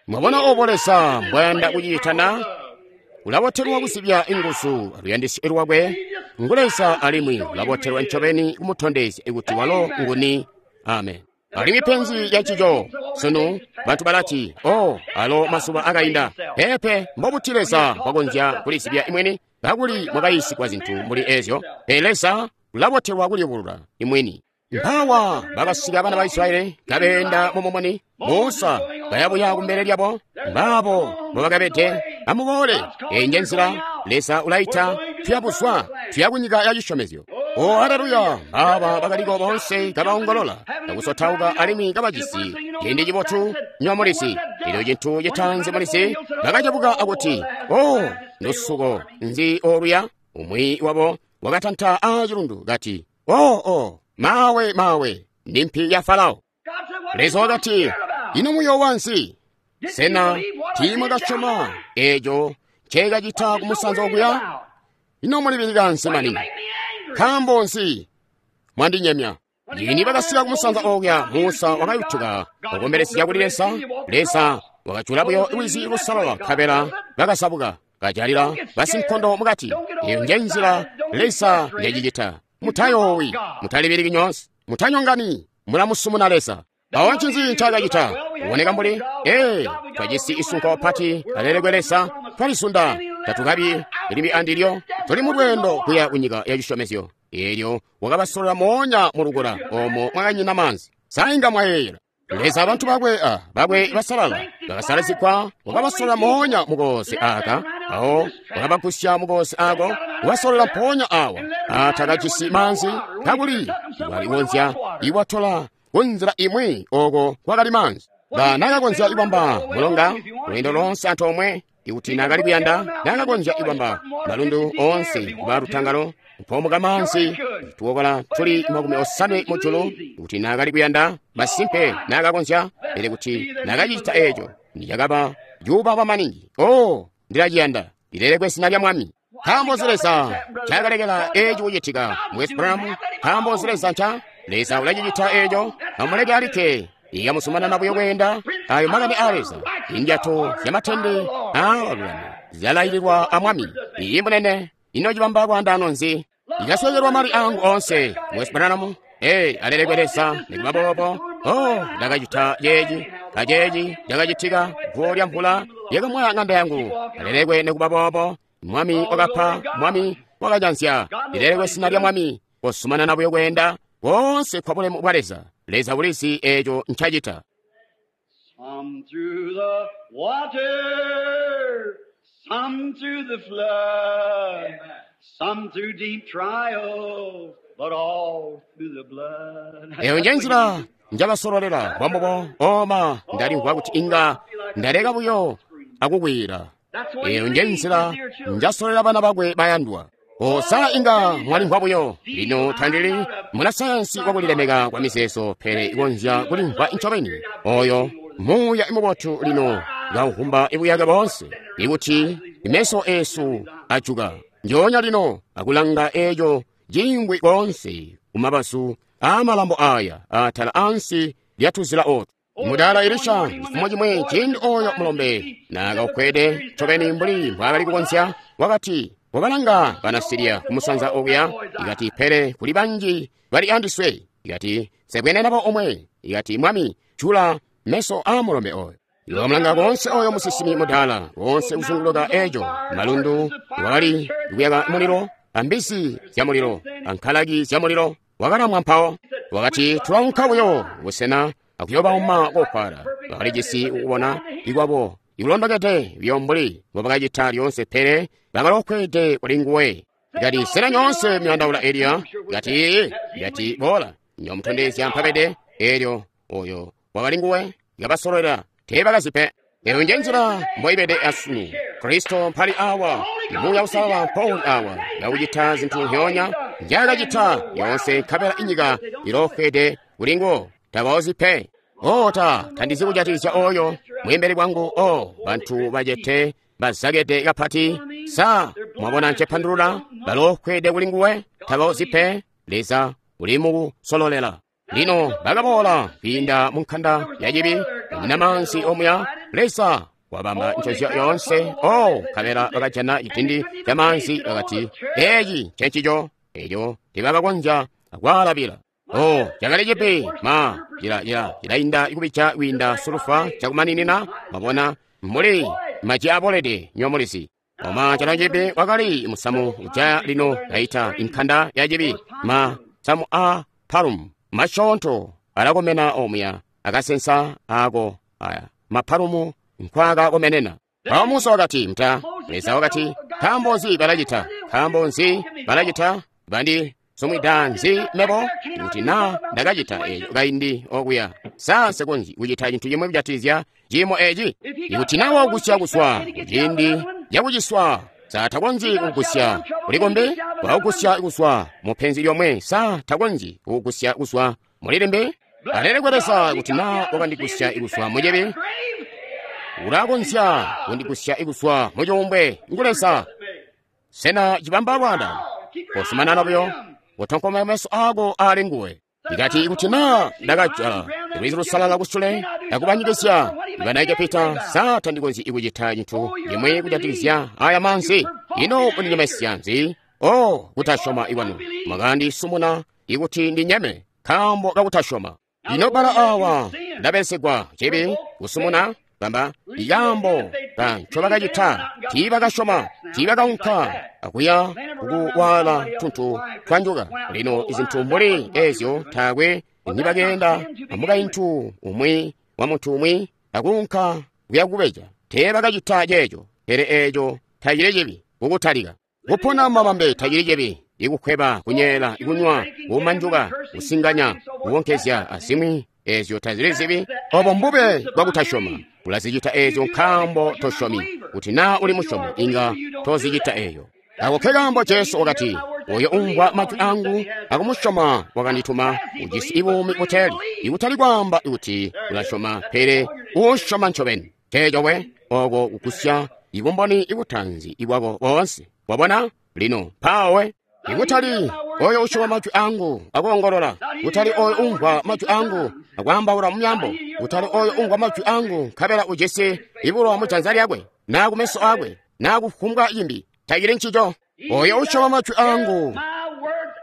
Mwabona obo Leza mbwayanda kucita na? Ulabotelwa kusibya inguzu aluyandisyo lwakwe ngu Leza, alimwi ulabotelwa ncobeni kumutondezya kuti walo nguni. Amen. Alimwi penzi lyancico sunu bantu balati, oh, alo masuba akainda. Pepe, mbobuti Leza mbwakonzya kulisibya imweni kakuli mwakayisigwa zintu mbuli ezyo? Pele Leza ulabotelwa kuliyubulula imweni. Mpawa bakasika bana ba Israyeli kabeenda mumumuni. Musa kayabuya kumbele lyabo. Mbabo mbobakabede. Amuboole, eyi nje nzila Leza ulaita, tuyabuzwa, tuya kunyika ya cisyomezyo. O haleluya! Aba bakaliko boonse kabaongolola, kakusotauka alimwi kabajisi ciindi cibotu nywa mulisi. Elyo cintu citaanzi mulisi bakacabuka akuti, o lusuko nzi oluya? Umwi wabo wakatanta aacilundu kati, o o mawe mawe, ndi mpi ya Farao. Leza wakati, ino muyoowa nzi? Sena tiimwakasyoma eeco nceekacita kumusanza okuya? Ino mulibilika nzi maningi? Nkaambo nzi mwandinyemya? Lini bakasika kumusanza okuya, Musa wakayutuka wakombelesya kuli Leza. Leza wakajula buyo lwizi lusalala, nkabela bakasabuka kajalila basinkondo mukati. Eyo nje nzila Leza njacicita. Mutayoowi, mutalibiliki nyoonse, mutanyongani, mulamusumuna Leza. Awo ncinzi ncaakacita? Kuboneka mbuli, ee, twajisi isunko pati, alelekwe Leza, twalisunda, tatukabi limbi andilyo, tuli mu lweendo kuya kunyika ya cisyomezyo. Eelyo wakabasolola moonya mu lukula omo mwakanyina maanzi. Sainga mwayeeyela. Leza abantu bakwe a bakwe basalala bakasalazigwa, wakabasolola moonya mukooze aka, awo wakabagusya mukooze ako, wakabasolola mpoonya awa atakajisi maanzi, kakuli walikonzya iwatola kunzila imwi oko kwakali maanzi. Ba nakakonzya ibamba mulonga lweendo lonse antoomwe, ikuti nakali kuyanda nakakonzya ibamba malundu onse kuba lutangalo mpomuka maanzi tuwokola tuli makumi osanwe mujulu. Ikuti nakali kuyanda masimpe nakakonzya, pele kuti nakacita eeco ndiyakaba yuba maningi. Oh, ndilaciyanda, lilelekwe zina lya Mwami. Nkaambo nzi Leza ncakalekela eeci kucitika mu West Brom? Nkaambo nzi Leza nca Leza ulacicita eeco? Amuleke alikke ikamuzumanana buyo kweenda. Ayo makani a Leza. Indyato zyamatende aabalulami zyalaililwa a Mwami. Iyi munene, ino cibamba lwaandaano nzi? Ikaswekelwa mali angu onse mu West Brom. Ee, alelekwe Leza nikuba boobo. Oh, ndakacita ceeci kaceeci cakacitika, guwo lya mvula lyakamwaya ng'anda yangu. Alelekwe nikuba boobo. Mwami wakapa, Mwami wakajanzya. Lilelekwe zina lya Mwami. Kozumanana buyo kweenda konse kwa bulemu bwa Leza. Leza ulizi eeco ncacita. Some through the water, some through the flood, some through deep trials, but all through the blood. Eyo nje nzila njabasololela bwambubo. Oma ndalimvwa kuti inga ndaleka buyo akukwira. Eyo nje nzila njasololela bana bakwe bayandwa. Osa inga mwalimvwa buyo. Lino tandili munasayansi wakulilemeka kwa mizeezo, pele ikonzya kulimvwa ncobeni. Oyo muuya imubotu lino kauhumba ibuyake boonse, ikuti imeso esu ajuka njoonya lino akulanga eeco cingwi koonse kumabazu aamalambo aya atala ansi lyatuzila otu. Mudala Elisha chifumo chimwe ciindi oyo mulombe nakaukwede ncobeni mbuli mbwaakali kukonzya, wakati wabalanga bana Siriya kumusanza okuya, ikati pele kuli banji bali andiswe. Ikati, sebwene nabo omwe. Ikati, Mwami, jula meso a mulombe oyo. Iwamulanga konse oyo musinsimi mudaala, konse kuzunguluka ejo, malundu, wakali kuyaka mulilo, ambisi zya mulilo, ankalaki zya mulilo, wakalamwa mpawo. Wakati, tulaunka buyo busena akuyobauma kokwala. Bakalijisi kubona ikwabo ikulondokede buyo mbuli mbobakacita lyoonse, pele bakalokwede kuli nguwe. Ikati, sena nyoonse muyandaula Eliya? Ikati, ikati, boola, nyomutondezya mpabede. Elyo oyo wakali nguwe, yabasololela teebakazipe. Eyo nje nzila mboibede asunu. Kristo mpali awa, Muuya Uusalala mpoli awa, yakucita zinthu nhyoonya njakacita yonse, nkabela inyika ilofwede kuli nguwo, tabaozi pe. O ta tandizi kujatikizya oyo mweembeli bwangu, o bantu bacete bazakede kapati. Sa mwabona ncepandulula? Balofwede kuli nguwe, tabaozi pe. Leza uli mukusololela. Lino bakaboola kwiinda mu nkanda ya cibi, kunyina maanzi omuya. Leza wabamba njozyo yoonse. O nkabela bakajana citindi ca maanzi, bakati, eeci ncencico. Eco tebakakonzya kwaalabila. O cakali cibi ma cila cila cilainda kubija kwiinda sulufa cakumaninina. Mwabona mbuli maji abolede nyomulizi. Oma calo cibi wakali musamu ujaya lino kaita inkanda ya cibi ma samu a palum masyoonto alakomena omuya akasensa ako aya mapalumu nkwakakomenena. Mpawo Musa wakati mta Leza wakati, nkaambo nzi balacita? Nkaambo nzi balacita? Bandi somwida nzi mebo? Kuti na ndakacita eco kaindi okuya, sa nsekonzyi kucita cintu cimwe kujatikizya ciimo eci? Ikuti na waugusya kuswa kuciindi cakuciswa, sa takonzyi kugusya kulikombe? Waugusya kuswa mu penzi lyomwe, sa takonzyi kugusya kuswa mulilimbi? Alelekwe Leza kuti na wakandigusya ikuswa mucibi, ulakonzya kundigusya ikuswa mucuumbwe. Ngu Leza. Sena cibamba lwada? Kosumanana buyo, utonkome meso ako ali nguwe. Ikati kuti na ndakajala lwizi lusalala kusule akubanyikizya bana Egepita, sa tandikonzyi ikucita cintu cimwe kujatikizya aya manzi? Ino undinyemesya nzi? O kutasyoma ikwanu, mwakandisumuna ikuti ndinyeme nkaambo kakutasyoma. Lino bala awa ndabelesegwa cibi kusumuna bamba ikaambo ka ncobakacita. Tiibakasyoma, tiibakaunka akuya kukuwaala tuntu twanjuka. Lino izintu mbuli ezyo taakwe nibakeenda amukaintu umwi wa muntu umwi akuunka kuya kubeja. Teebakacita ceeco, pele eeco tacili cibi kukutalika. Kupona mumabambe tacili cibi, ikukweba, kunyeela, ikunywa, kumanjuka, kusinganya, kuwonkezya azimwi ezyo tazili zibi. Obo mbube bwakutasyoma. Ulazicita ezyo nkaambo tosyomi. Kuti na uli musyomi, inga tozicita eyo. Ako ke kaambo Jesu wakati, oyo umvwa majwi angu akumusyoma wakandituma ujisi ibuumi buteli. Ikutali kwaamba kuti ulasyoma, pele usyoma ncobeni. Teeco we, oko kugusya ibumboni ibutanzi ibwako boonse. Wabona? Lino mpawe. Ikutali oyo usyoma majwi angu akuongolola, kutali oyo umvwa majwi angu akwaambaula mumyambo, kutali oyo umvwa majwi angu nkabela ujisi ibulowa mujanza lyakwe naa kumeso akwe naa kufumbwa cimbi, tacili ncico. Oyo usyoma majwi angu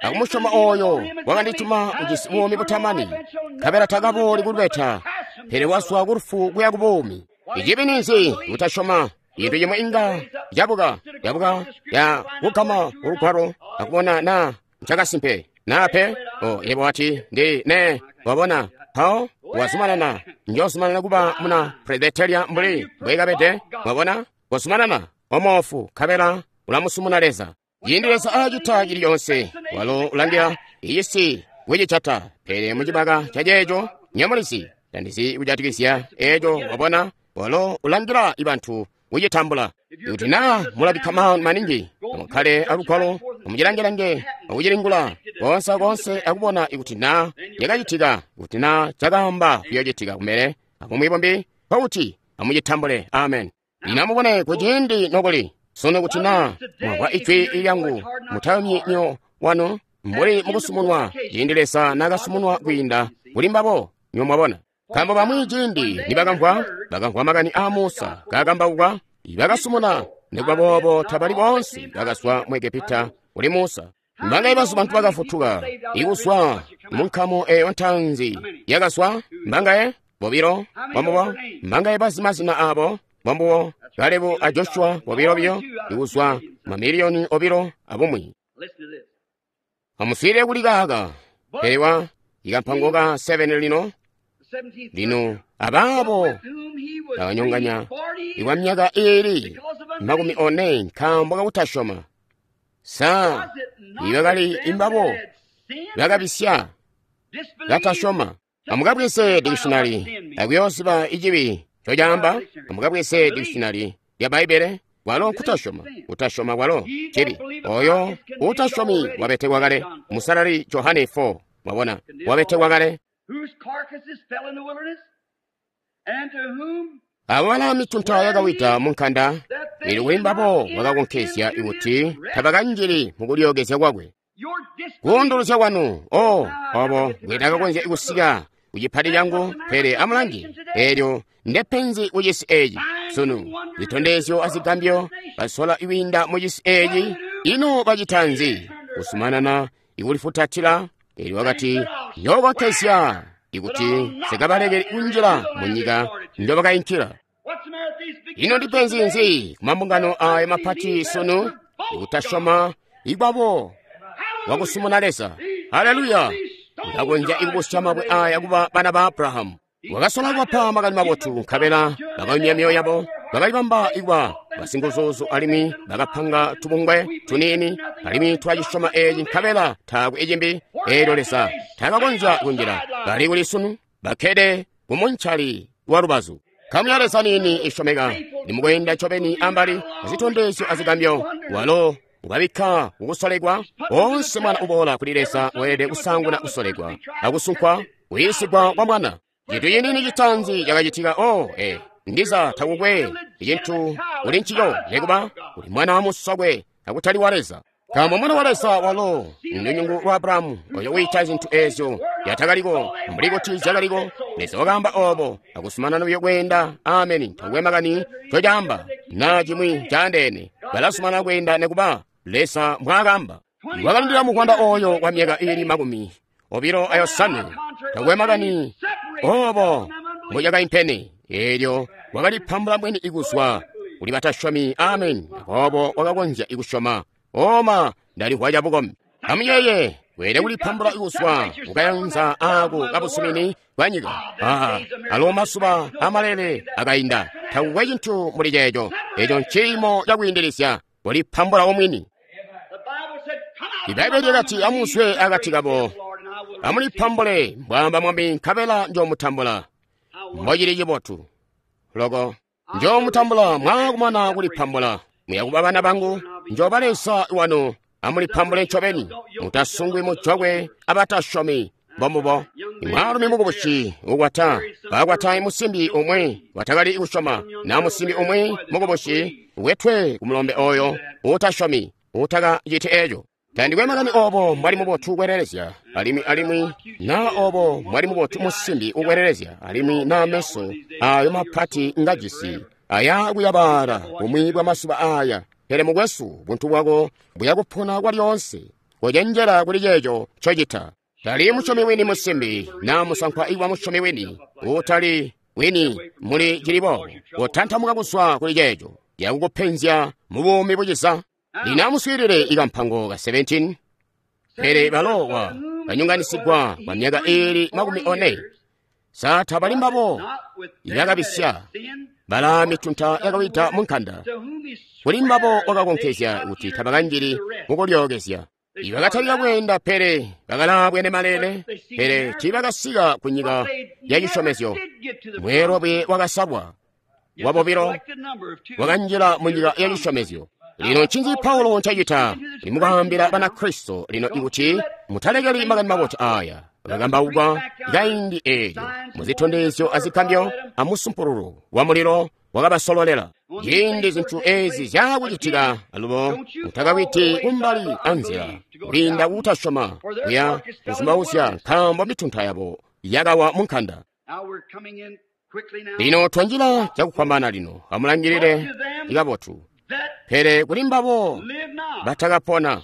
akumusyoma oyo wakandituma ujisi buumi butamani, nkabela takabooli kulubeta, pele wazwa kulufu kuya kubuumi. Icibi ninzi? Kutasyoma. Cintu cimwe inga cabuka cabuka ya kugama ulugwalo akubona na ncakasimpe naa pe. O yebo wati ndi ne wabona mpawo wazumanana, njozumanana kuba muna Presbyteria mbuli mbwekabede. Mwabona, wazumanana omoofu nkabela ulamusumuna Leza. Ciindi Leza acita cili coonse, walo ulangila icisi kucicata, pele mucibaka ca ceeco nyamulizi tandizi kujatikizya eeco. Wabona, walo ulangila ibantu kucitambula. Kuti na mulabikka maningi amukkale alugwalo, amucilangelange akucilingula konse akonse akubona ikuti na cakacitika, kuti na cakaamba kuyoocitika kumbele, abumwi bumbi nkokuti amucitambule. Amen. Lino amubone kuciindi nokuli sunu, kuti na mwamvwa ijwi lyangu, mutayumyi myoyo wanu mbuli mukusumunwa ciindi Leza nakasumunwa kwiinda kuli mbabo. Nyo mwabona, nkaambo bamwi ciindi nibakamvwa bakamvwa makani a Musa kakambauka, bakasumuna. Nikuba boobo tabali boonse bakazwa mu Egepita kuli Musa. Mbangaye bazu bantu bakafutuka ikuzwa mu nkamu eyo ntaanzi yakazwa? Mbangaye? Bobilo. Bambubo. Mbangaye bazi mazina abo? Bambubo. Kalebu a Joshua bobilo biyo ikuzwa mamiliyoni obilo abumwi. Amuswiilile kuli kaaka. Pele wa ikampango ka seven lino. Lino abaabo bakanyonganya ikwa myaka iili makumi one nkaambo kakutasyoma. Sa ibakali imbabo bakabisya batasyoma. Amukabweze dictionary akuyoziba icibi cocaamba. Amukabweze dictionary lya Bbaibbele. Walo kutasyoma, kutasyoma kwalo cibi. Oyo utasyomi wabetekwa kale. Musalali Johane four. Mwabona, wabetekwa kale. Abo bala mitunta yakawida munkanda, ili kuli mbabo wakakonkezya ikuti tabakanjili mukulyookezya kwakwe. Kuunduluzya kwanu, o obo bwetakakonzya kusika kucipati changu, pele amulangi elyo ndepenzi kucisi eci sunu. Zitondezyo azigambyo basola iwinda mucisi eci, ino bacita nzi? Kusumanana ikulifutatila. Elyo wakati, njokonkezya ikuti sikabalekeli kunjila munyika njobakainkila. Ino ndipenzi nzi kumambungano aya mapati sunu? Ikutasyoma ikwabo wakusumuna Leza. Haleluya! Ndakonzya ikubusya mabwe aya kuba bana ba Abrahamu. Wakasola kubapa makani mabotu, nkabela bakayumya myoyo yabo, bakalibamba ikuba basinguzuzu, alimwi bakapanga tubungwe tuniini, alimwi twacisyoma eci, nkabela taakwe icimbi. Eelyo Leza takakonzya kunjila. Bali kuli sunu bakkede kumuncali wa lubazu. Nkamu ya Leza niini isyomeka nimukweenda ncobeni ambali azitondezyo azigambyo. Walo ukabikka kukusolekwa. Onse mwana uboola kuli Leza weelede kusanguna kusolekwa akusunkwa kuyiisigwa kwa mwana. Cintu ciniini citaanzi cakacitika, o eh, ndiza takukwe icintu kuli ncico, nekuba kuli mwana wa musokwe akutali wa Leza. Nkaambo mwana wa Leza walo ndunyungu lwa Abrahamu, oyo wiita zintu ezyo yatakaliko mbuli kuti zyakaliko. Leza wakaamba obo akusumanana buyo kweenda. Ameni. Takukwe makani cocaamba na cimwi caandeene, balasumana kweenda nekuba Leza mbwaakamba. Wakalindila mukwanda oyo kwa myaka iili makumi obilo ayosanwe. Takukwe makani obo mbucakaimpene, eelyo wakalipambula mwini ikuzwa kuli batasyomi. Ameni. Aboobo wakakonzya ikusyoma. Oma ndalimvwa cabukombi. Amuyeye weelede kulipambula ikuzwa kukayanza ako kabusumini bwa nyika. Ah, alo masuba amalele akainda. Takukwe cintu muli ceeco. Eco nciimo cakwiindilizya kulipambula omwini. Ibaibbele lyakati, amuzwe akati kabo, amulipambule, mbwaamba Mwami, nkabela njoomutambula. Mbocili cibotu loko njoomutambula mwaakumana kulipambula. Muyakuba bana bangu, njooba Leza wanu. Amulipambule ncobeni, mutasungwi mujokwe abatasyomi. Mbombubo. Mwaalumi mukubusi ukwata bakwata musimbi umwe watakali kusyoma, na musimbi umwe mukubusi wetwe kumulombe oyo utasyomi utakaciti eco. Tandikwe makani obo mwali mubotu kwelelezya, alimwi alimwi na obo mwali mubotu musimbi ukwelelezya, alimwi na meso ayo mapati ngajisi aya kuyabala bumwi bwa masuba aya. Pele mukwesu, buntu bwako buyakupona kwalyonse. Kocenjela kuli ceeco ncocita. Tali musyomi wini musimbi na musankwa iwa musyomi wini utali wini muli cilibo, kotantamuka kuzwa kuli ceeco yakukupenzya mu buumi buciza. Lino amuswiilile ikampango ka seventeen. Pele balowa banyonganisigwa kwa myaka iili makumi one. Sa tabali mbabo ibakabisya bala mitunta yakawida munkanda. Kuli mbabo wakakonkezya kuti tabakanjili mukulyookezya. Ibakatalika kweenda pele bakalabwene malele, pele tiibakasika ku nyika ya cisyomezyo. Mweelwe wakasalwa wabobilo wakanjila mu nyika ya cisyomezyo. Lino ncinzi Paulo ncacita? Limukaambila Banakristo lino ikuti mutalekeli makani mabotu aya akakambaukwa kaindi eelyo muzitondezyo azigambyo amusumpululu wa mulilo wakabasololela. Ciindi zintu ezi zyakucitika alubo mutakawiti kumbali anzila kwiinda kutasyoma kuya kuzumbauzya, nkaambo mitunta yabo yakawa munkanda. Lino twanjila cakufwambaana lino, amulangilile ikabotu. Pele kuli mbabo batakapona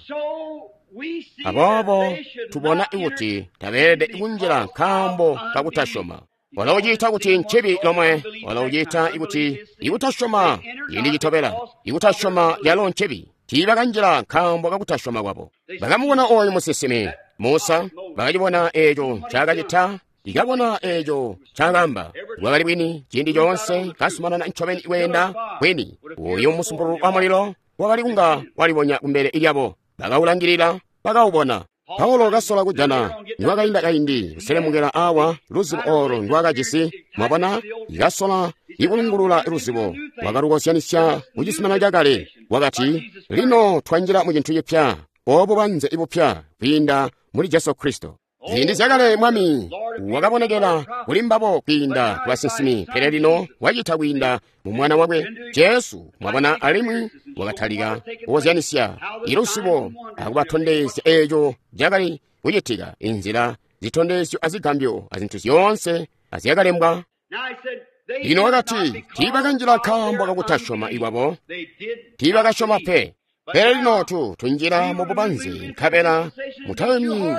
Aboobo tubona kuti tabeelede kunjila nkaambo kakutasyoma. Walo uciita kuti ncibi lomwe, walo uciita kuti ikutasyoma ciindi citobela, ikutasyoma yalo ncibi. Tiibakanjila nkaambo kakutasyoma kwabo. Bakamubona oyu musinsimi Musa, bakacibona eeco ncaakacita, ikabona eeco ncaakaamba. Bwakali bwini ciindi coonse, kasumanana ncobeni kweenda bwini. Uyu musumpululu wa mulilo wakali kunga walibonya kumbele lyabo. Bakawulangilila, bakawubona. Paulo kasola kujana niwakainda kaindi kuselemukela awa luzibo olo ndwakajisi. Mwabona, ikasola ikulungulula luzibo, wakalukozyanisya kucizuminano cakale. Wakati, lino twanjila mu cintu cipya, obo banze ibupya kwiinda muli Jesu Kristo. Ziindi zyakale Mwami wakabonekela kuli mbabo kwiinda ku basinsimi, pele lino wacita kwiinda mu Mwana wakwe Jesu. Mwabona, alimwi wakatalika kukozyanisya iluzibo akubatondezya eeco cakali kucitika, inzila zitondezyo azigambyo azintu zyoonse azyakalembwa. Lino wakati, tiibakanjila nkaambo kakutasyoma ikwabo, tiibakasyoma pe. Pele lino tu tunjila mu bubanze, nkabela mutayomyi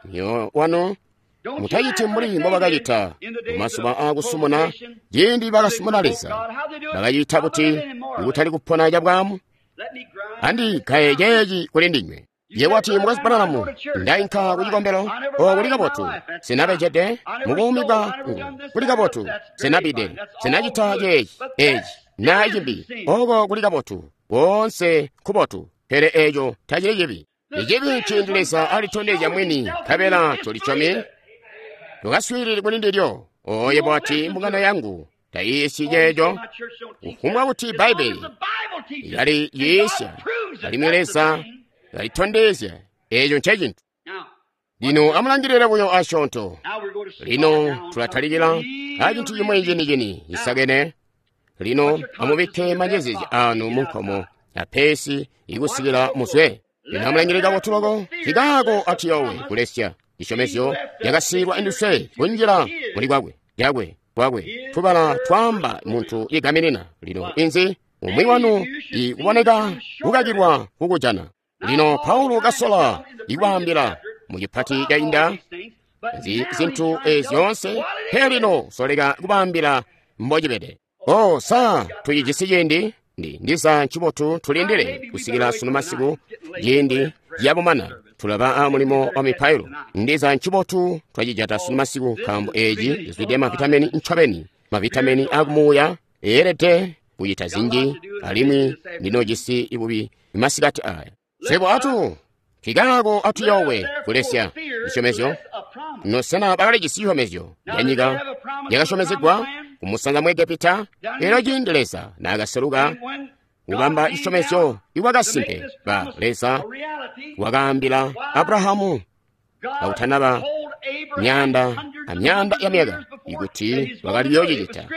myoyo wanu, mutaciti mbuli mbobakacita mu mazuba aakusumuna, ciindi bakasumuna Leza. Bakacita kuti ikutali kupona cabwamu. Andikaye ceeci kuli ndinywe. Ye wati, Mukwesu Branham, ndainka ku cikombelo, o kuli kabotu, sinabejede mu buumi bwangu, kuli kabotu, sinabide, sinacita ceeci, eci, na cimbi, oko kuli kabotu, koonse kubotu, pele eco tacili cibi. Icibi ciindi Leza alitondezya mwini, nkabela tulisyomi, tukaswiilile kuli ndilyo. Oye bwati, mbungano yangu tayiisyi ceeco. Kufumbwa kuti Bbaibbele yali yiisya, alimwi Leza yalitondezya, eco ncecintu. Lino amulangilile buyo asyoonto. Lino tulatalikila acintu cimwi cini-cini cisakene. Lino amubikke manjezezya anu mu nkomo apesi ikusikila muzwe. Lino amulangilile kabotu loko, kikaako atiyowe kulesya cisyomezyo yakasiilwa induswe kunjila muli kwakwe, yakwe, kwakwe. Tubala twaamba muntu igaminina. Lino inzi umwi wanu ikuboneka kukakilwa kukujana. Lino Paulo kasola ikwaambila mu cipati cainda zi zintu ezi zyoonse, pele lino soleka kubaambila mbocibede. O sa tucijisi ciindi? Ndi ndiza ncibotu tulindile kusikila sunu masiku ciindi ciyabumana tulaba a mulimo wa mipailo. Ndiza ncibotu twacijata sunu masiku, nkaambo eci cizwide mavitamini ncobeni, mavitamini akumuuya eelede kucita zinji, alimwi ndinojisi ibubi masikati aya. Sebo atu kikaako atuyowe kulesya cisyomezyo. Nosena bakalijisi cisyomezyo ya nyika yakasyomezegwa kumusanza mu Egepita. Elyo ciindi Leza naakaseluka kubamba cisyomezyo iwakasimpe ba Leza wakaambila Abrahamu akutanaba myanda amyanda ya myaka ikuti wakali yoocicita.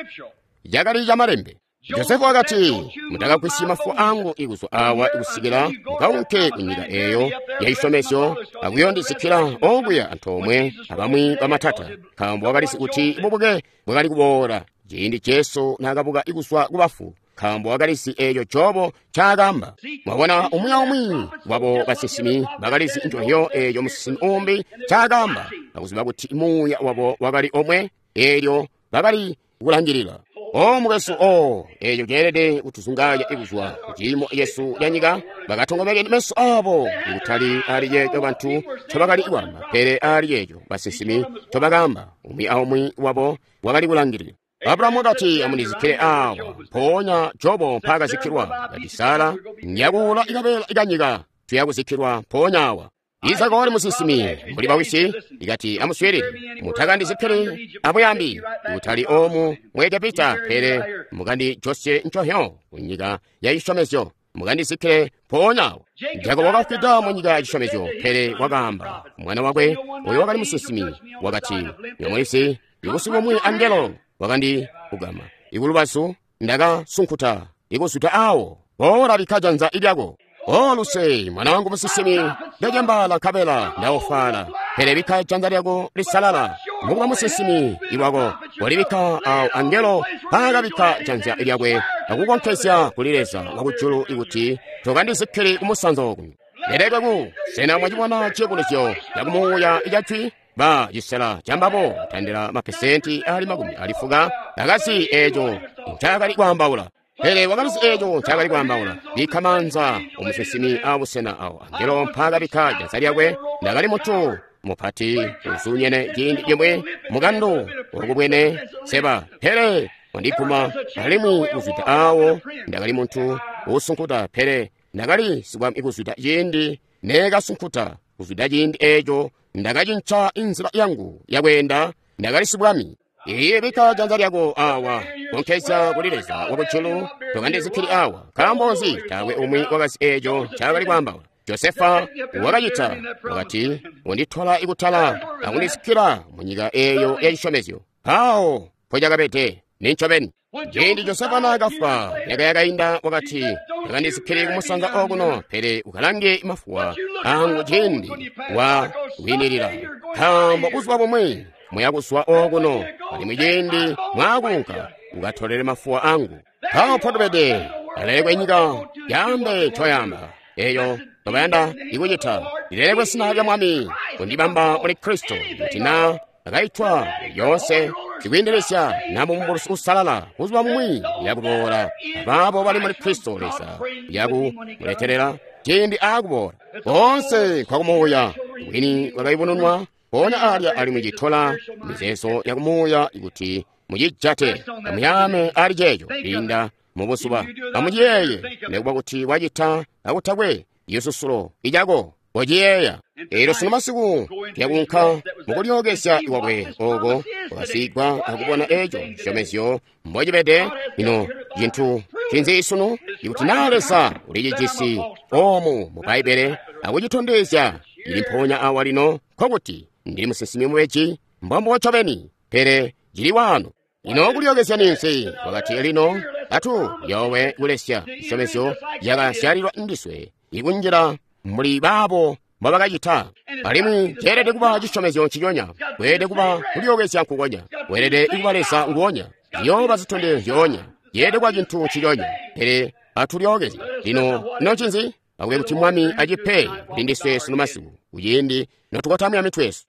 Cakali camalembe. Josefa wakati, mutakagwisyi mafu angu ikuzwa awa ikusikila mukaunke ku nyika eyo ya cisyomezyo akuyondizikila okuya antoomwe abamwi bamatata, nkaambo wakalizi kuti bubuke bwakali kuboola ciindi Jesu naakabuka ikuzwa ku bafu, nkaambo wakalizi eeco Jobo ncaakaamba. Mwabona, umwi aumwi wabo basinsimi bakalizi nconzyo eeco musinsimi umbi ncaakaamba, akuziba kuti muuya wabo wakali omwe, eelyo bakali kulangilila. O mukwesu, o eeco ceelede kutuzunganya ikuzwa kuciimo yesu ya nyika. Bakatongomekeni meso abo ikutali ali ceeco bantu ncobakali kwaamba, pele ali ceeco basinsimi ncobakaamba. Umwi aumwi wabo wakali kulangilila. Abrahamu wakati, amundizikile awa. Mpoonya Jobo mpaakazikilwa. Kati Sara, nyakuula ikabeela ikanyika, tuyakuzikilwa mpoonya awa. Isaka wali musinsimi mbuli bawisi, ikati amuswiilile, mutakandizikile abuyambi kutali omu mu Egepita, pele mukandijosye nconzyo ku nyika ya cisyomezyo, mukandizikile mpoonya awo. Jakobo wakafwida mu nyika ya cisyomezyo, pele wakaamba mwana wakwe oyo wakali musinsimi, wakati, nyomwisi ikusiku umwi angelo wakandikugama ikulubazu, ndakasunkuta ikuzwida awo, boola bikka janza lyako. O luse, mwana wangu musinsimi, ndacembaala nkabela ndaofwaala, pele bikka janza lyako lisalala mukuba musinsimi iwako. Walibikka awo angelo mpaakabikka janza lyakwe akukonkezya kuli Leza wakujulu ikuti tokandizikili kumusanza oku. Lelekwe ku sena mwacibona ciyubunuzyo cakumuuya icajwi ba cisela cambabo tandila mapesenti ali makumi alifuka akasi eco ncakali kwaambaula. Pele wakalizi eco ncakali kwaambaula. Bikka maanza omusinsimi abusena awo angelo mpaakabikka janza lyakwe. Ndakali mutu mupati uzuunyene ciindi cimwi mukandu ukubwene seba, pele wandikuma alimwi kuzwida awo. Ndakali muntu usunkuta, pele ndakali sikwami kuzwida ciindi neekasunkuta. Kuzwida ciindi eco ndakacinca inzila yangu yakweenda, ndakali sibwami. Iye bikka janza lyako awa konkezya kuli Leza wakujulu, tokandizikkili awa. Nkaambo nzi? Taakwe umwi wakazi eco ncakali kwaambaula. Josefa wakacita, wakati unditola ikutala akundizikkila munyika eyo yacisyomezyo. Mpawo mpocakabede nincobeni. Ciindi Josefa naakafwa myaka yakainda, wakati takandizikkili kumusanza okuno, pele ukalange mafuwa angu ciindi wa kwinilila, nkaambo buzuba bumwi muyakuzwa okuno, alimwi ciindi mwakunka ukatolele mafuwa angu. Mpawo mpotubede, alelekwe nyika yaambe ncoyamba eyo tobayanda ikucita. Lilelekwe zina lya Mwami kundibamba muli Kristo, kuti na akaitwa yoonse zikwiindelezya na mumubulusi usalala buzuba bumwi yakuboola abaabo bali muli Kristo Leza yakumuletelela ciindi aakuboola. Boonse kwakumuuya bwini bwakayubununwa mpoonya alya, alimwi citola mizeezo yakumuuya kuti mucijate amuyame ali ceeco kwiinda mubuzuba. Amuciyeeye nekuba kuti wacita akutakwe isusulo icako wociyeeya. Eelyo sunu masiku tuyakunka mukulyookezya kwakwe oko kwakasigwa akubona eco cisyomezyo mbocibede. Ino cintu cinzi sunu? Ikuti naa Leza ulicijisi omu mu Bbaibbele akucitondezya ili mpoonya awa lino, nkokuti ndili musinsimi mubeji, mbombo ncobeni, pele cili wano. Ino kulyookezya ninzi? Wakati lino atu yowe kulesya cisyomezyo cakasyalilwa ndiswe ikunjila mbuli baabo mbobakacita. Alimwi ceelede kuba cisyomezyo nciconya, kweelede kuba kulyookezya nkukonya, kweelede kuba Leza nguonya, ziyooba zitondezyo zyoonya, ceelede kuba cintu nciconya. Pele atulyookezye lino. Ino ncinzi? Akube kuti Mwami acipe kuli ndiswe sunu masiku kuciindi notukotamya mitwe yesu.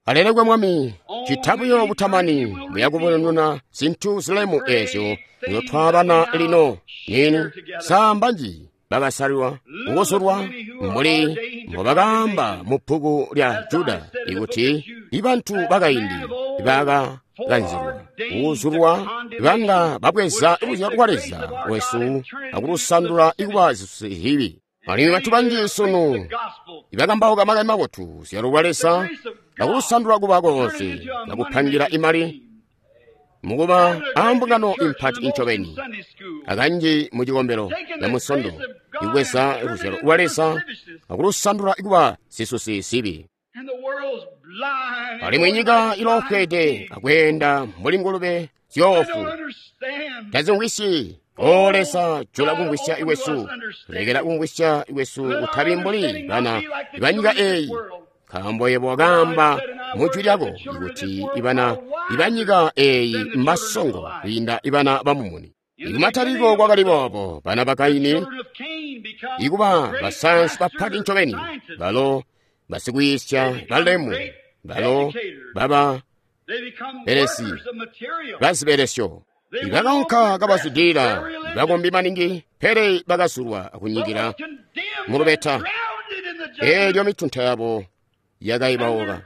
Alelekwe Mwami, cita buyo butamani muyakubonuna zintu zilemu ezyo nzotwabana lino. Nini samba nji bakasalwa kukuzulwa mbuli mbobakaamba mu bbuku lya Juda ikuti ibantu bakaindi bakakanzilwa kukuzulwa banga babweza luzyalo lwa Leza wesu akulusandula ikuba zibi. Alimwi bantu banji sunu ibakambauka makani mabotu luzyalo lwa Leza akulusandula kuba konse akupangira imali mukuba ambungano impati incobeni akanji mu cikombelo ya musondo ikubweza luzyalo lwa Leza akulusandula kuba zisusi zibi. Alimwi nyika iloofwede akweenda mbuli ngulube zyoofu tazimvwisyi. O Leza, jula kumvwisya iwesu, lekela kumvwisya iwesu kutabi mbuli bana ibanyika eyi, nkaambo yebo wakaamba mu jwi lyako ikuti ibana ibanyika eyi mbasongo kwiinda ibana bamumuni. Ikumataliko kwakali boobo, bana ba Kaini ikuba basayansi bapati ncobeni, balo basikwiisya balemu, balo baba belesi bazibelesyo ibakaunka kabazwidilila, bakombi maningi, pele bakazulwa akunyikila mulubeta. Eelyo mitunta yabo yakaibauka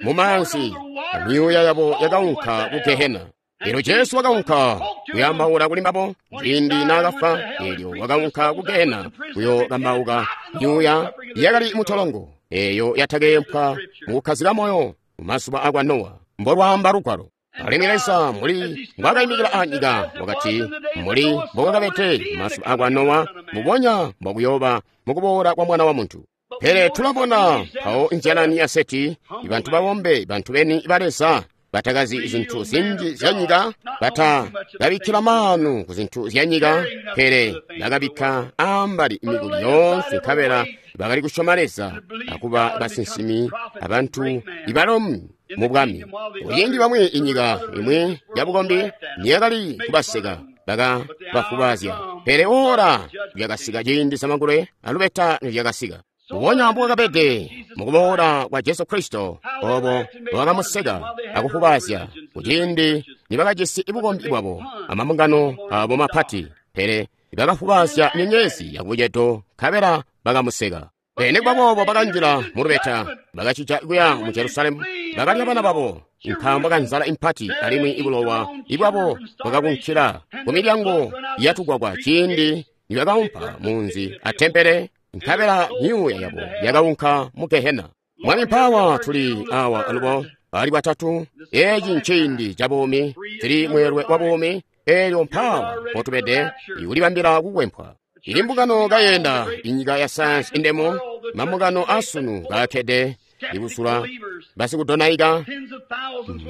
mumaanzi, amyuuya yabo yakaunka ku Gehena. Eelyo Jesu wakaunka kuyambaula kuli mbabo ciindi naakafwa. Eelyo wakaunka ku Gehena kuyokambauka myuuya yakali mutolongo eeyo yatakeempwa mukukkazika moyo mumazuba akwa Nowa, mbolwaamba lugwalo. Alimwi Leza mbuli mbwaakayimikila anyika wakati, mbuli mbokwakabede mazuba akwa Nowa, mbubonya mbokuyooba mukuboola kwa Mwana wa Muntu. Pele tulabona mpawo nzyalani ya Seti, bantu babombe, bantu beni ba Leza, batakazi zintu zinji zya nyika, batakabikkila maanu ku zintu zya nyika, pele bakabikka ambali mikuli yoonse, nkabela bakali kusyoma Leza akuba basinsimi abantu ibalomu mu bwami. Kuciindi bamwi inyika imwi yabukombi niyakali kubaseka, baka bafubazya. Pele ora lyakasika ciindi zamangulwe alubeta nilyakasika. Mbubonya mbwakabede mukuboola kwa Jesu Kristo, obo bwakamuseka akufubazya kuciindi nibakajisi bukombi bwabo amambungano abo mapati, pele bakafubazya nyenyezi yakubucedo nkabela bakamuseka. Pele boobo bakanjila mulubeta, bakacija kuya mu Jerusalemu, bakalya bana babo nkaambo kanzala impati, alimwi ibulowa ibwabo bwakakunkila kumilyango yatugwagwa ciindi nibakaumpa munzi atempele, nkabela myuuya yabo yakaunka mu Gehena. Mwami mpawa tuli awa alubo ali batatu, eci nciindi ca buumi, tili mweelwe wa buumi, eelyo mpawa potubede ikulibambila kukwempwa. Ili mbungano kayenda inyika ya sayansi indemo, mambungano asunu kakkede ikusula basikudonaika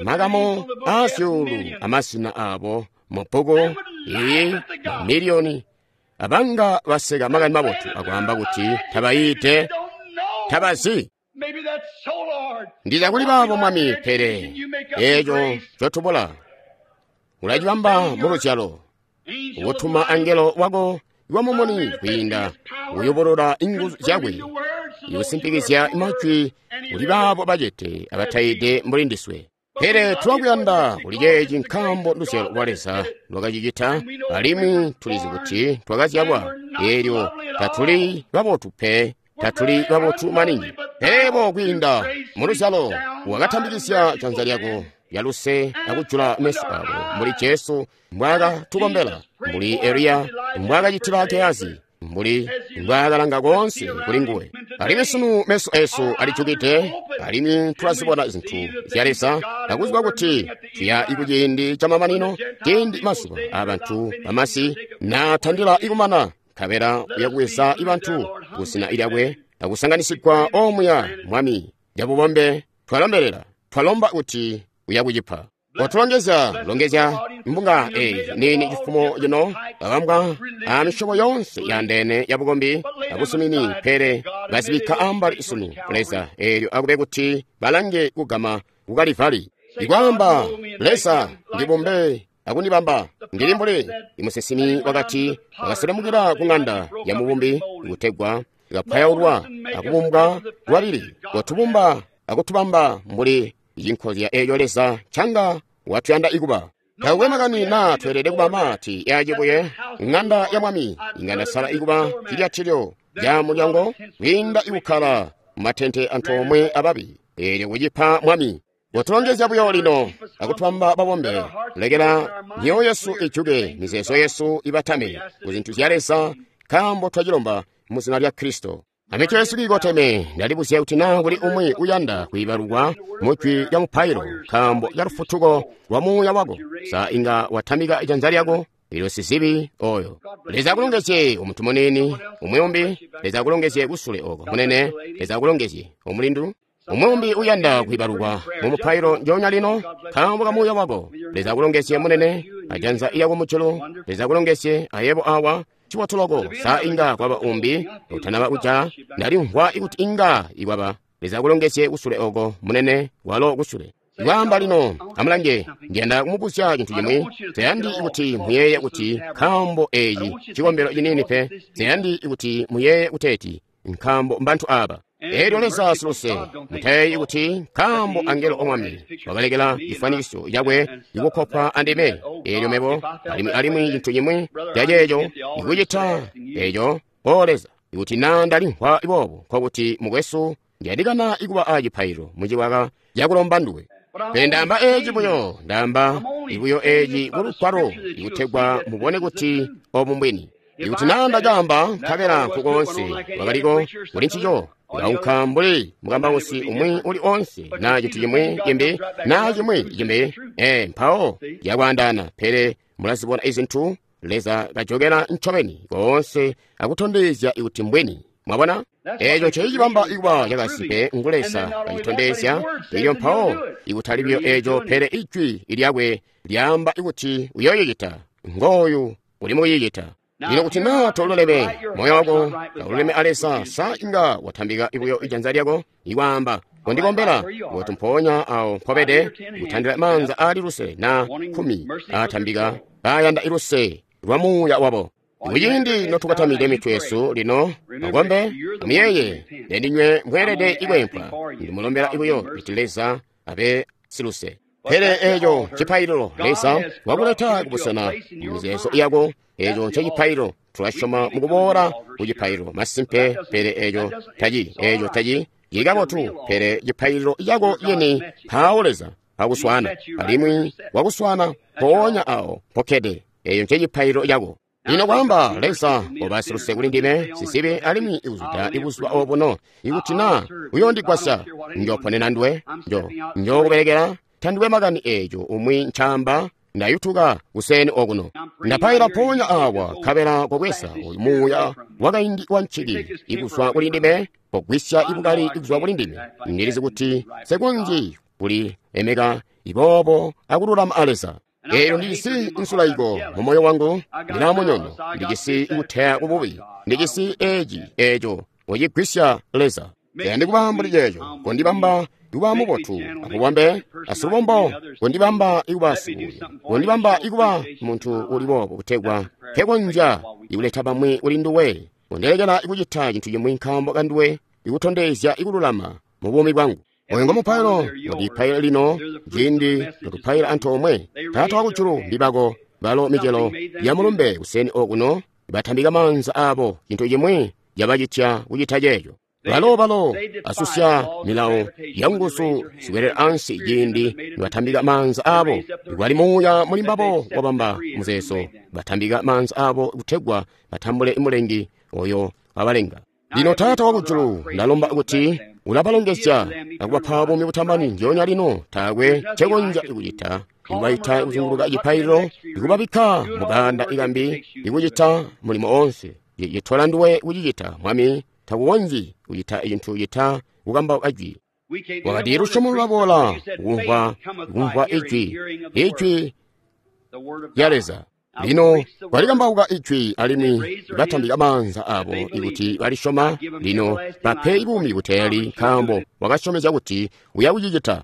makamo asyulu amasina abo mubbuku iyi mamiliyoni abanga baseka makani mabotu akwaamba kuti tabayite tabazi. Ndiza kuli baabo Mwami, pele eeco cotubula ulacibamba mu luzyalo, ukutuma angelo wako wamumuni kwiinda kuyubulula inguzu zyakwe, ikusimpikizya majwi kuli baabo bacete abatayide mbuli ndiswe. Pele tulakuyanda kuli ceeci nkaambo luzyalo lwa Leza lwakacicita, alimwi tulizi kuti twakazyalwa, eelyo tatuli babotu pe, tatuli babotu maningi. Pele bo kwiinda mu luzyalo wakatambikizya janza lyako lyaluse akujula meso abo, mbuli Jesu mbwaakatukombela, mbuli Eliya mbwaakacitila Gehazi, mbuli mbwaakalanga koonse kuli nguwe. Alimwi sunu meso esu alijukide, alimwi tulazibona zintu zya Leza, akuziba kuti tuya ikuciindi camamanino, ciindi mazuba abantu bamasi naatandila ikumana, nkabela uyakuweza ibantu kuzina lyakwe akusanganisigwa omuya. Mwami, lyabubombe twalombelela, twalomba kuti uyakucipa. Otulongezya, longezya mbunga eyi nini cifumo cino, babambwa a misyobo yonse yandeene ya bukombi abusumini, pele bazibikka ambali sunu Leza, eelyo akube kuti balange kugama ku Kalivali. Ikwaamba, Leza ndibumbe akundibamba ndili mbuli imusesimi wakati wakaselemukila ku ng'anda ya mubumbi kutegwa ikapwayaulwa akubumbwa lwabili, kotubumba akutubamba mbuli inkozya eeyo Leza canga watuyanda ikuba. Takwe makani na tweelede kuba mati yacibuye ng'anda ya Mwami, inga ndasala ikuba cilyatilyo lya mulyango kwiinda ikukkala mumatente antoomwe ababi, eelyo kucipa Mwami. Kotulongezya buyo lino akutubamba babombe, lekela myoyo yesu ijuke, mizeezo yesu ibatame ku zintu zya Leza, nkaambo twacilomba mu zina lya Kristo. Amitwe yesu kiikoteme, ndalibuzya kuti naa kuli umwi uyanda kwiibalukwa mujwi lya mupailo nkaambo ya lufutuko lwa muuya wako, sa inga watamika ijanza lyako ilo sizibi oyo. Leza akulongezye omuntu munini umuyumbi, Leza akulongezye kusule oko munene, Leza akulongezye omulindu. Umuyumbi uyanda kwiibalukwa mu mupailo njoonya lino nkaambo ka muuya wako. Leza akulongezye munene, ajanza lyako mujulu. Leza akulongezye ayebo awa. Chiwatuloko sa inga kwaba umbi utanaba kuja ndalimvwa ikuti inga ikwaba. Leza akulongezye kusule oko munene, walo kusule. Ikwaamba lino amulange, ndiyanda kumubuzya cintu cimwi. Tayandi kuti muyeye kuti nkaambo eyi cikombelo cinini pe, tayandi kuti muyeye kuteeti nkaambo mbantu aba. Eelyo Leza siluse, mutayeyi kuti nkaambo angelo omwami wakalekela cifwanikiso cakwe ikukopa andime, eelyo mebo alimwi alimwi cintu cimwi caceeco ikucita eeco. O Leza, ikuti naa ndalimvwa boobo, nkokuti mukwesu ndiyandikana ikuba acipaililo muciwaka cakulomba nduwe. Pele ndaamba eeci buyo, ndaamba ibuyo eeci kulugwalo ikutegwa mubone kuti obu mbwini. Ikuti naa ndacaamba nkabela nkukoonse wakaliko kuli ncico, ulaunka mbuli mukambausi umwi uli onse na cintu cimwi cimbi na cimwi cimbi, ee mpawo yakwaandaana. Pele mulazibona izintu Leza kajokela ncobeni koonse akutondezya ikuti mbwini. Mwabona? Eeco ncecibamba ikuba cakasimpe ngu Leza kacitondezya, elyo mpawo ikutali buyo eeco, pele ijwi lyakwe lyaamba ikuti uyoyicita. Ngooyu uli mukuyicita. Lino kuti naa toluleme moyo wako taululeme a Leza, sa inga watambika ibuyo ijanza lyako ikwaamba kondikombela, kuti mpoonya awo mpobede kutandila maanza aali lusele na kkumi aatambika kaayanda iluse lwa muuya wabo. Kuciindi notukatamide mitwe yesu lino, mukombe, amuyeeye, nendinywe mweelede ikweempwa. Ndimulombela buyo kuti Leza abe siluse. Pele eeco cipaililo Leza wakuleta kubusena mumizeezo yako, eeco ncecipaililo. Tulasyoma mukuboola kucipaililo masimpe, pele eeco taci eeco taci cili kabotu. Pele cipaililo cako yeni mpawo Leza akuswana, alimwi wakuswana mpoonya awo mpokkede. Eeco ncecipaililo cako. Lino kwaamba Leza oba siluse kuli ndime sisibe alimwi ikuzwida ibuzuba obuno, ikuti naa uyondigwasya, njoponena nduwe, njo njokubelekela. Tandiwe makani eeco umwi ncaamba, ndayutuka kuseni okuno. Ndapaila mpoonya awa nkabela kobweza oyu muuya wakaindi wa nciki ikuzwa kuli ndime, kogwisya ibukali ikuzwa kuli ndime. Ndilizi kuti sekonzyi kuli emeka iboobo akululama a Leza. Eelyo ndijisi nsulaiko mu moyo wangu, ndilaa munyono, ndijisi kuteya kububi, ndijisi eeci eeco ucigwisya Leza. Tayandi kuba mbuli ceeco, kondibamba ikuba mubotu, akubambe asilubombo, kondibamba ikuba sikuya, kondibamba ikuba muntu uli boobo kutegwa nkekonzya ikuleta bamwi kuli nduwe, kondilekela ikucita cintu cimwi nkaambo kanduwe, ikutondezya ikululama mu buumi bwangu. Oyu ngomupailo ngotupaila lino, ciindi notupaila antoomwe. Taata wakujulu, mbibako balo micelo ya mulumbe kuseni okuno, batambika maanza abo, cintu cimwi cabacitya kucita ceeco. Balo balo asusya milawo ya nguzu zikwelela ansi ciindi nibatambika maanza abo. Ikwali muuya muli mbabo wabamba muzeezo, batambika maanza abo kutegwa batambule mulengi oyo wabalenga. Lino Taata wakujulu, ndalomba kuti ulabalongezya akubapa buumi butamani ndyoonya lino. Taakwe ncekonzya kucita ikubaita kuzunguluka cipaililo, ikubabikka mukanda ikambi, ikucita mulimo oonse. Citola nduwe kucicita, Mwami. Takukonzyi kucita cintu cita kukambauka jwi. Wakati lusyomo lulaboola kumvwa kumvwa ijwi, ijwi lya Leza. Lino balikambauka ijwi alimwi batambika maanza abo ikuti balisyoma. Lino bape buumi buteeli, nkaambo wakasyomezya kuti uya kucicita.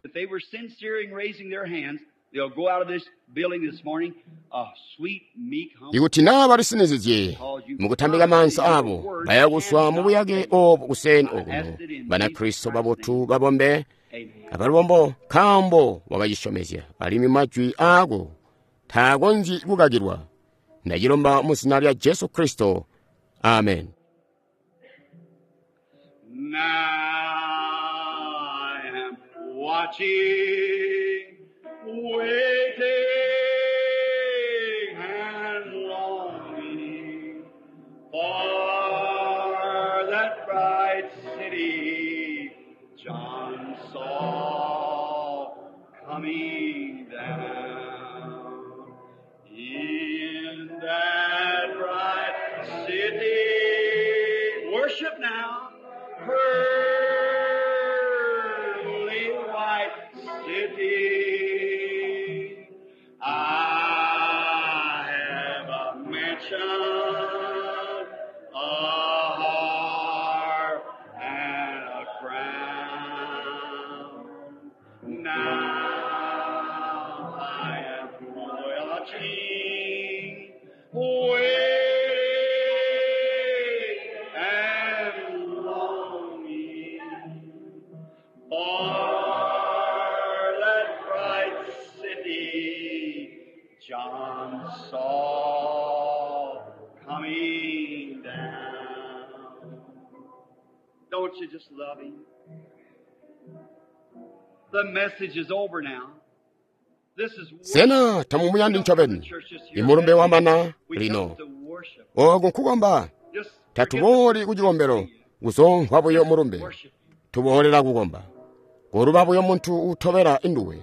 Ikuti naa balisinizizye mukutambika maanza abo, baya kuswa mu buyake obu kuseni okuno. Banakristo babotu babombe abalubombo, nkaambo wakacisyomezya, alimwi majwi aako taakonzyi kukakilwa. Ndacilomba mu zina lya Jesu Kristo. Amen. Now I am watching, waiting and longing for that bright city John saw coming down. In that bright city, worship now, pearly white city. I have a mansion, a harp, and a crown. Now I am watching, waiting, and longing for that bright city John saw coming down. Don't you just love him? The message is over now. This is Sena tamumuyandi ncobeni imulumbe wamana lino. Oku nkukomba. Tatubooli ku cikombelo kuzomvwa buyo mulumbe, tuboolera kukomba. Koluba buyo muntu utobela induwe,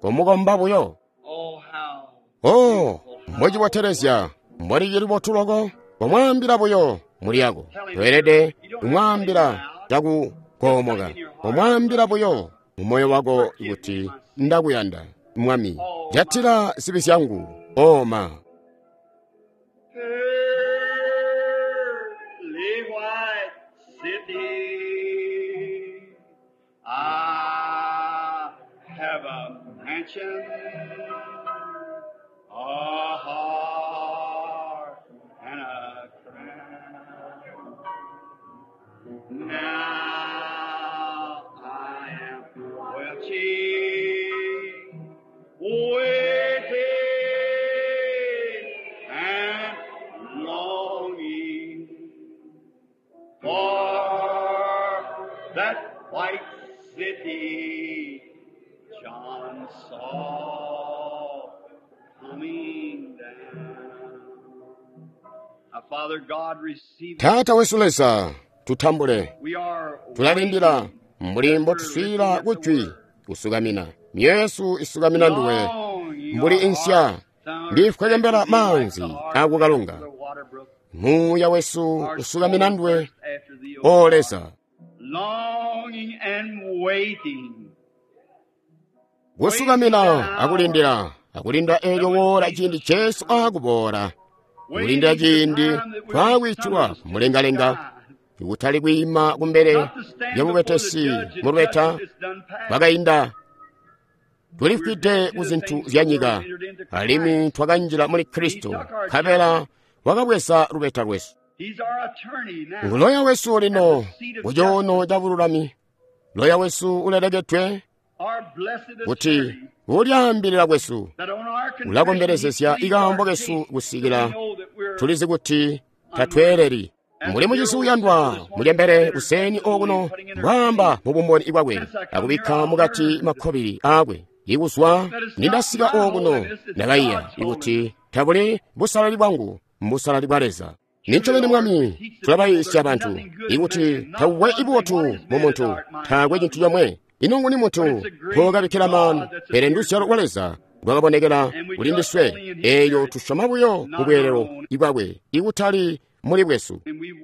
komukomba buyo. Oh, how Oh, mbocibotelezya, mboli libotu loko, komwaambila buyo muli yako. Toelede kumwaambila cakukoomoka, komwaambila buyo mu moyo wako kuti ndakuyanda, Mwami. Jatila zibi zyangu, oma. Pearly white city, I have a mansion, a heart Now I am well cheered, waiting and longing for that white city John saw coming down. Now, Father God, receive Taata wesu Leza, tutambule. We are Tulalindila waiting mbuli mbotuswiila kujwi kusukamina. Myoyo yesu isukamina nduwe mbuli insya ndifwekembela maanzi akukalunga. Muuya wesu usukamina nduwe, O Leza. Longing and waiting. Kusukamina akulindila, akulinda eelyo woola ciindi Jesu akuboola. Kulindila ciindi twakwitulwa mulengalenga, kutali kwiima kumbele lya mubetesi mu lubeta lwakainda. Tulifwide ku zintu zya nyika, alimwi twakanjila muli Kristo, nkabela wakabweza lubeta lwesu. He's our attorney now. Nguloya wesu lino ku coono ca bululami. Loya wesu ulelekedwe Our blessed kuti attorney. kulyaambilila kwesu That on our confession ulakombelezesya he pleads ikaambo our kesu case, kusikila so we know that we're tulizi kuti tatweeleli. Muli mucizi uyandwa mulyembele kuseni okuno mbwaamba mu bumboni bwakwe akubikka mukati makkobili aakwe. Ikuzwa nindasika okuno ndakaiya ikuti tabuli busalali bwangu mbusalali bwa Leza. Nincobeni Mwami, tulabayiisya bantu ikuti takukwe ibubotu mu muntu, taakwe cintu comwe. Ino nguni muntu mpokabikkila maanu, pele nduzyalo lwa Leza lwakabonekela kuli ndiswe, eelyo tusyoma buyo mu bweelelo bwakwe ikutali muli bwesu.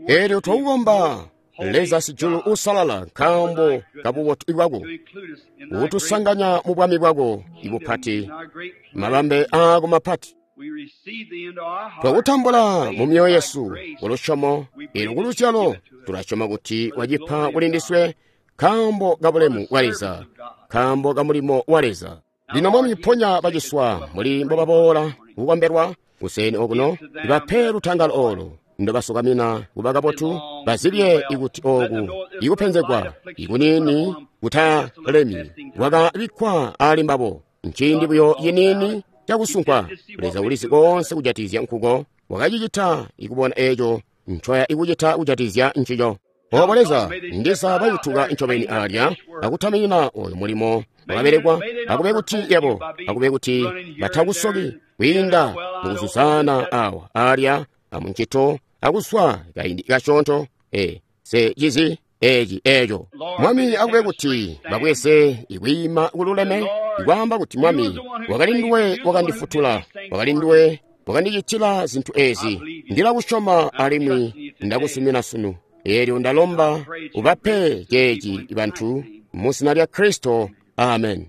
Eelyo twakukomba Leza sijulu uusalala nkaambo kabubotu bwako, to include us in thy great utusanganya mu bwami bwako ibupati, kingdom, our great plan. mabambe aako mapati. We receive thee into our hearts. Twakutambula mu myoyo yesu Grace. kulusyomo, eelyo kuluzyalo tulasyoma kuti wacipa kuli ndiswe nkaambo ka bulemu bwa Leza, nkaambo ka mulimo wa Leza. Lino Mwami ponya baciswa muli mbobaboola kukombelwa kuseni okuno, ibape lutangalo olo ndobasukamina kuba kabotu, bazibye ikuti oku ikupenzegwa ikuniini kutalemi kwakabikkwa ali mbabo nciindi buyo yiniini cakusunkwa. Leza ulizi konse kujatizya nkuko wakacicita ikubona eeco ncoya ikucita kujatizya ncico. Obo Leza ndiza bayutuka ncobeni alya akutaminina oyo mulimo wakabelekwa, akube kuti yebo, akube kuti batakusoki kwiinda mukuzuzana awa alya amuncito akuswa kaindi kasyoonto e se cizi eci eco. Mwami akube kuti babweze ikwiima kululeme, ikwaamba kuti Mwami wakali nduwe wakandifutula, wakali nduwe wakandicitila zintu ezi, ndilakusyoma alimwi ndakusumina sunu. Eelyo ndalomba ubape ceeci bantu mu zina lya Kristo. Amen.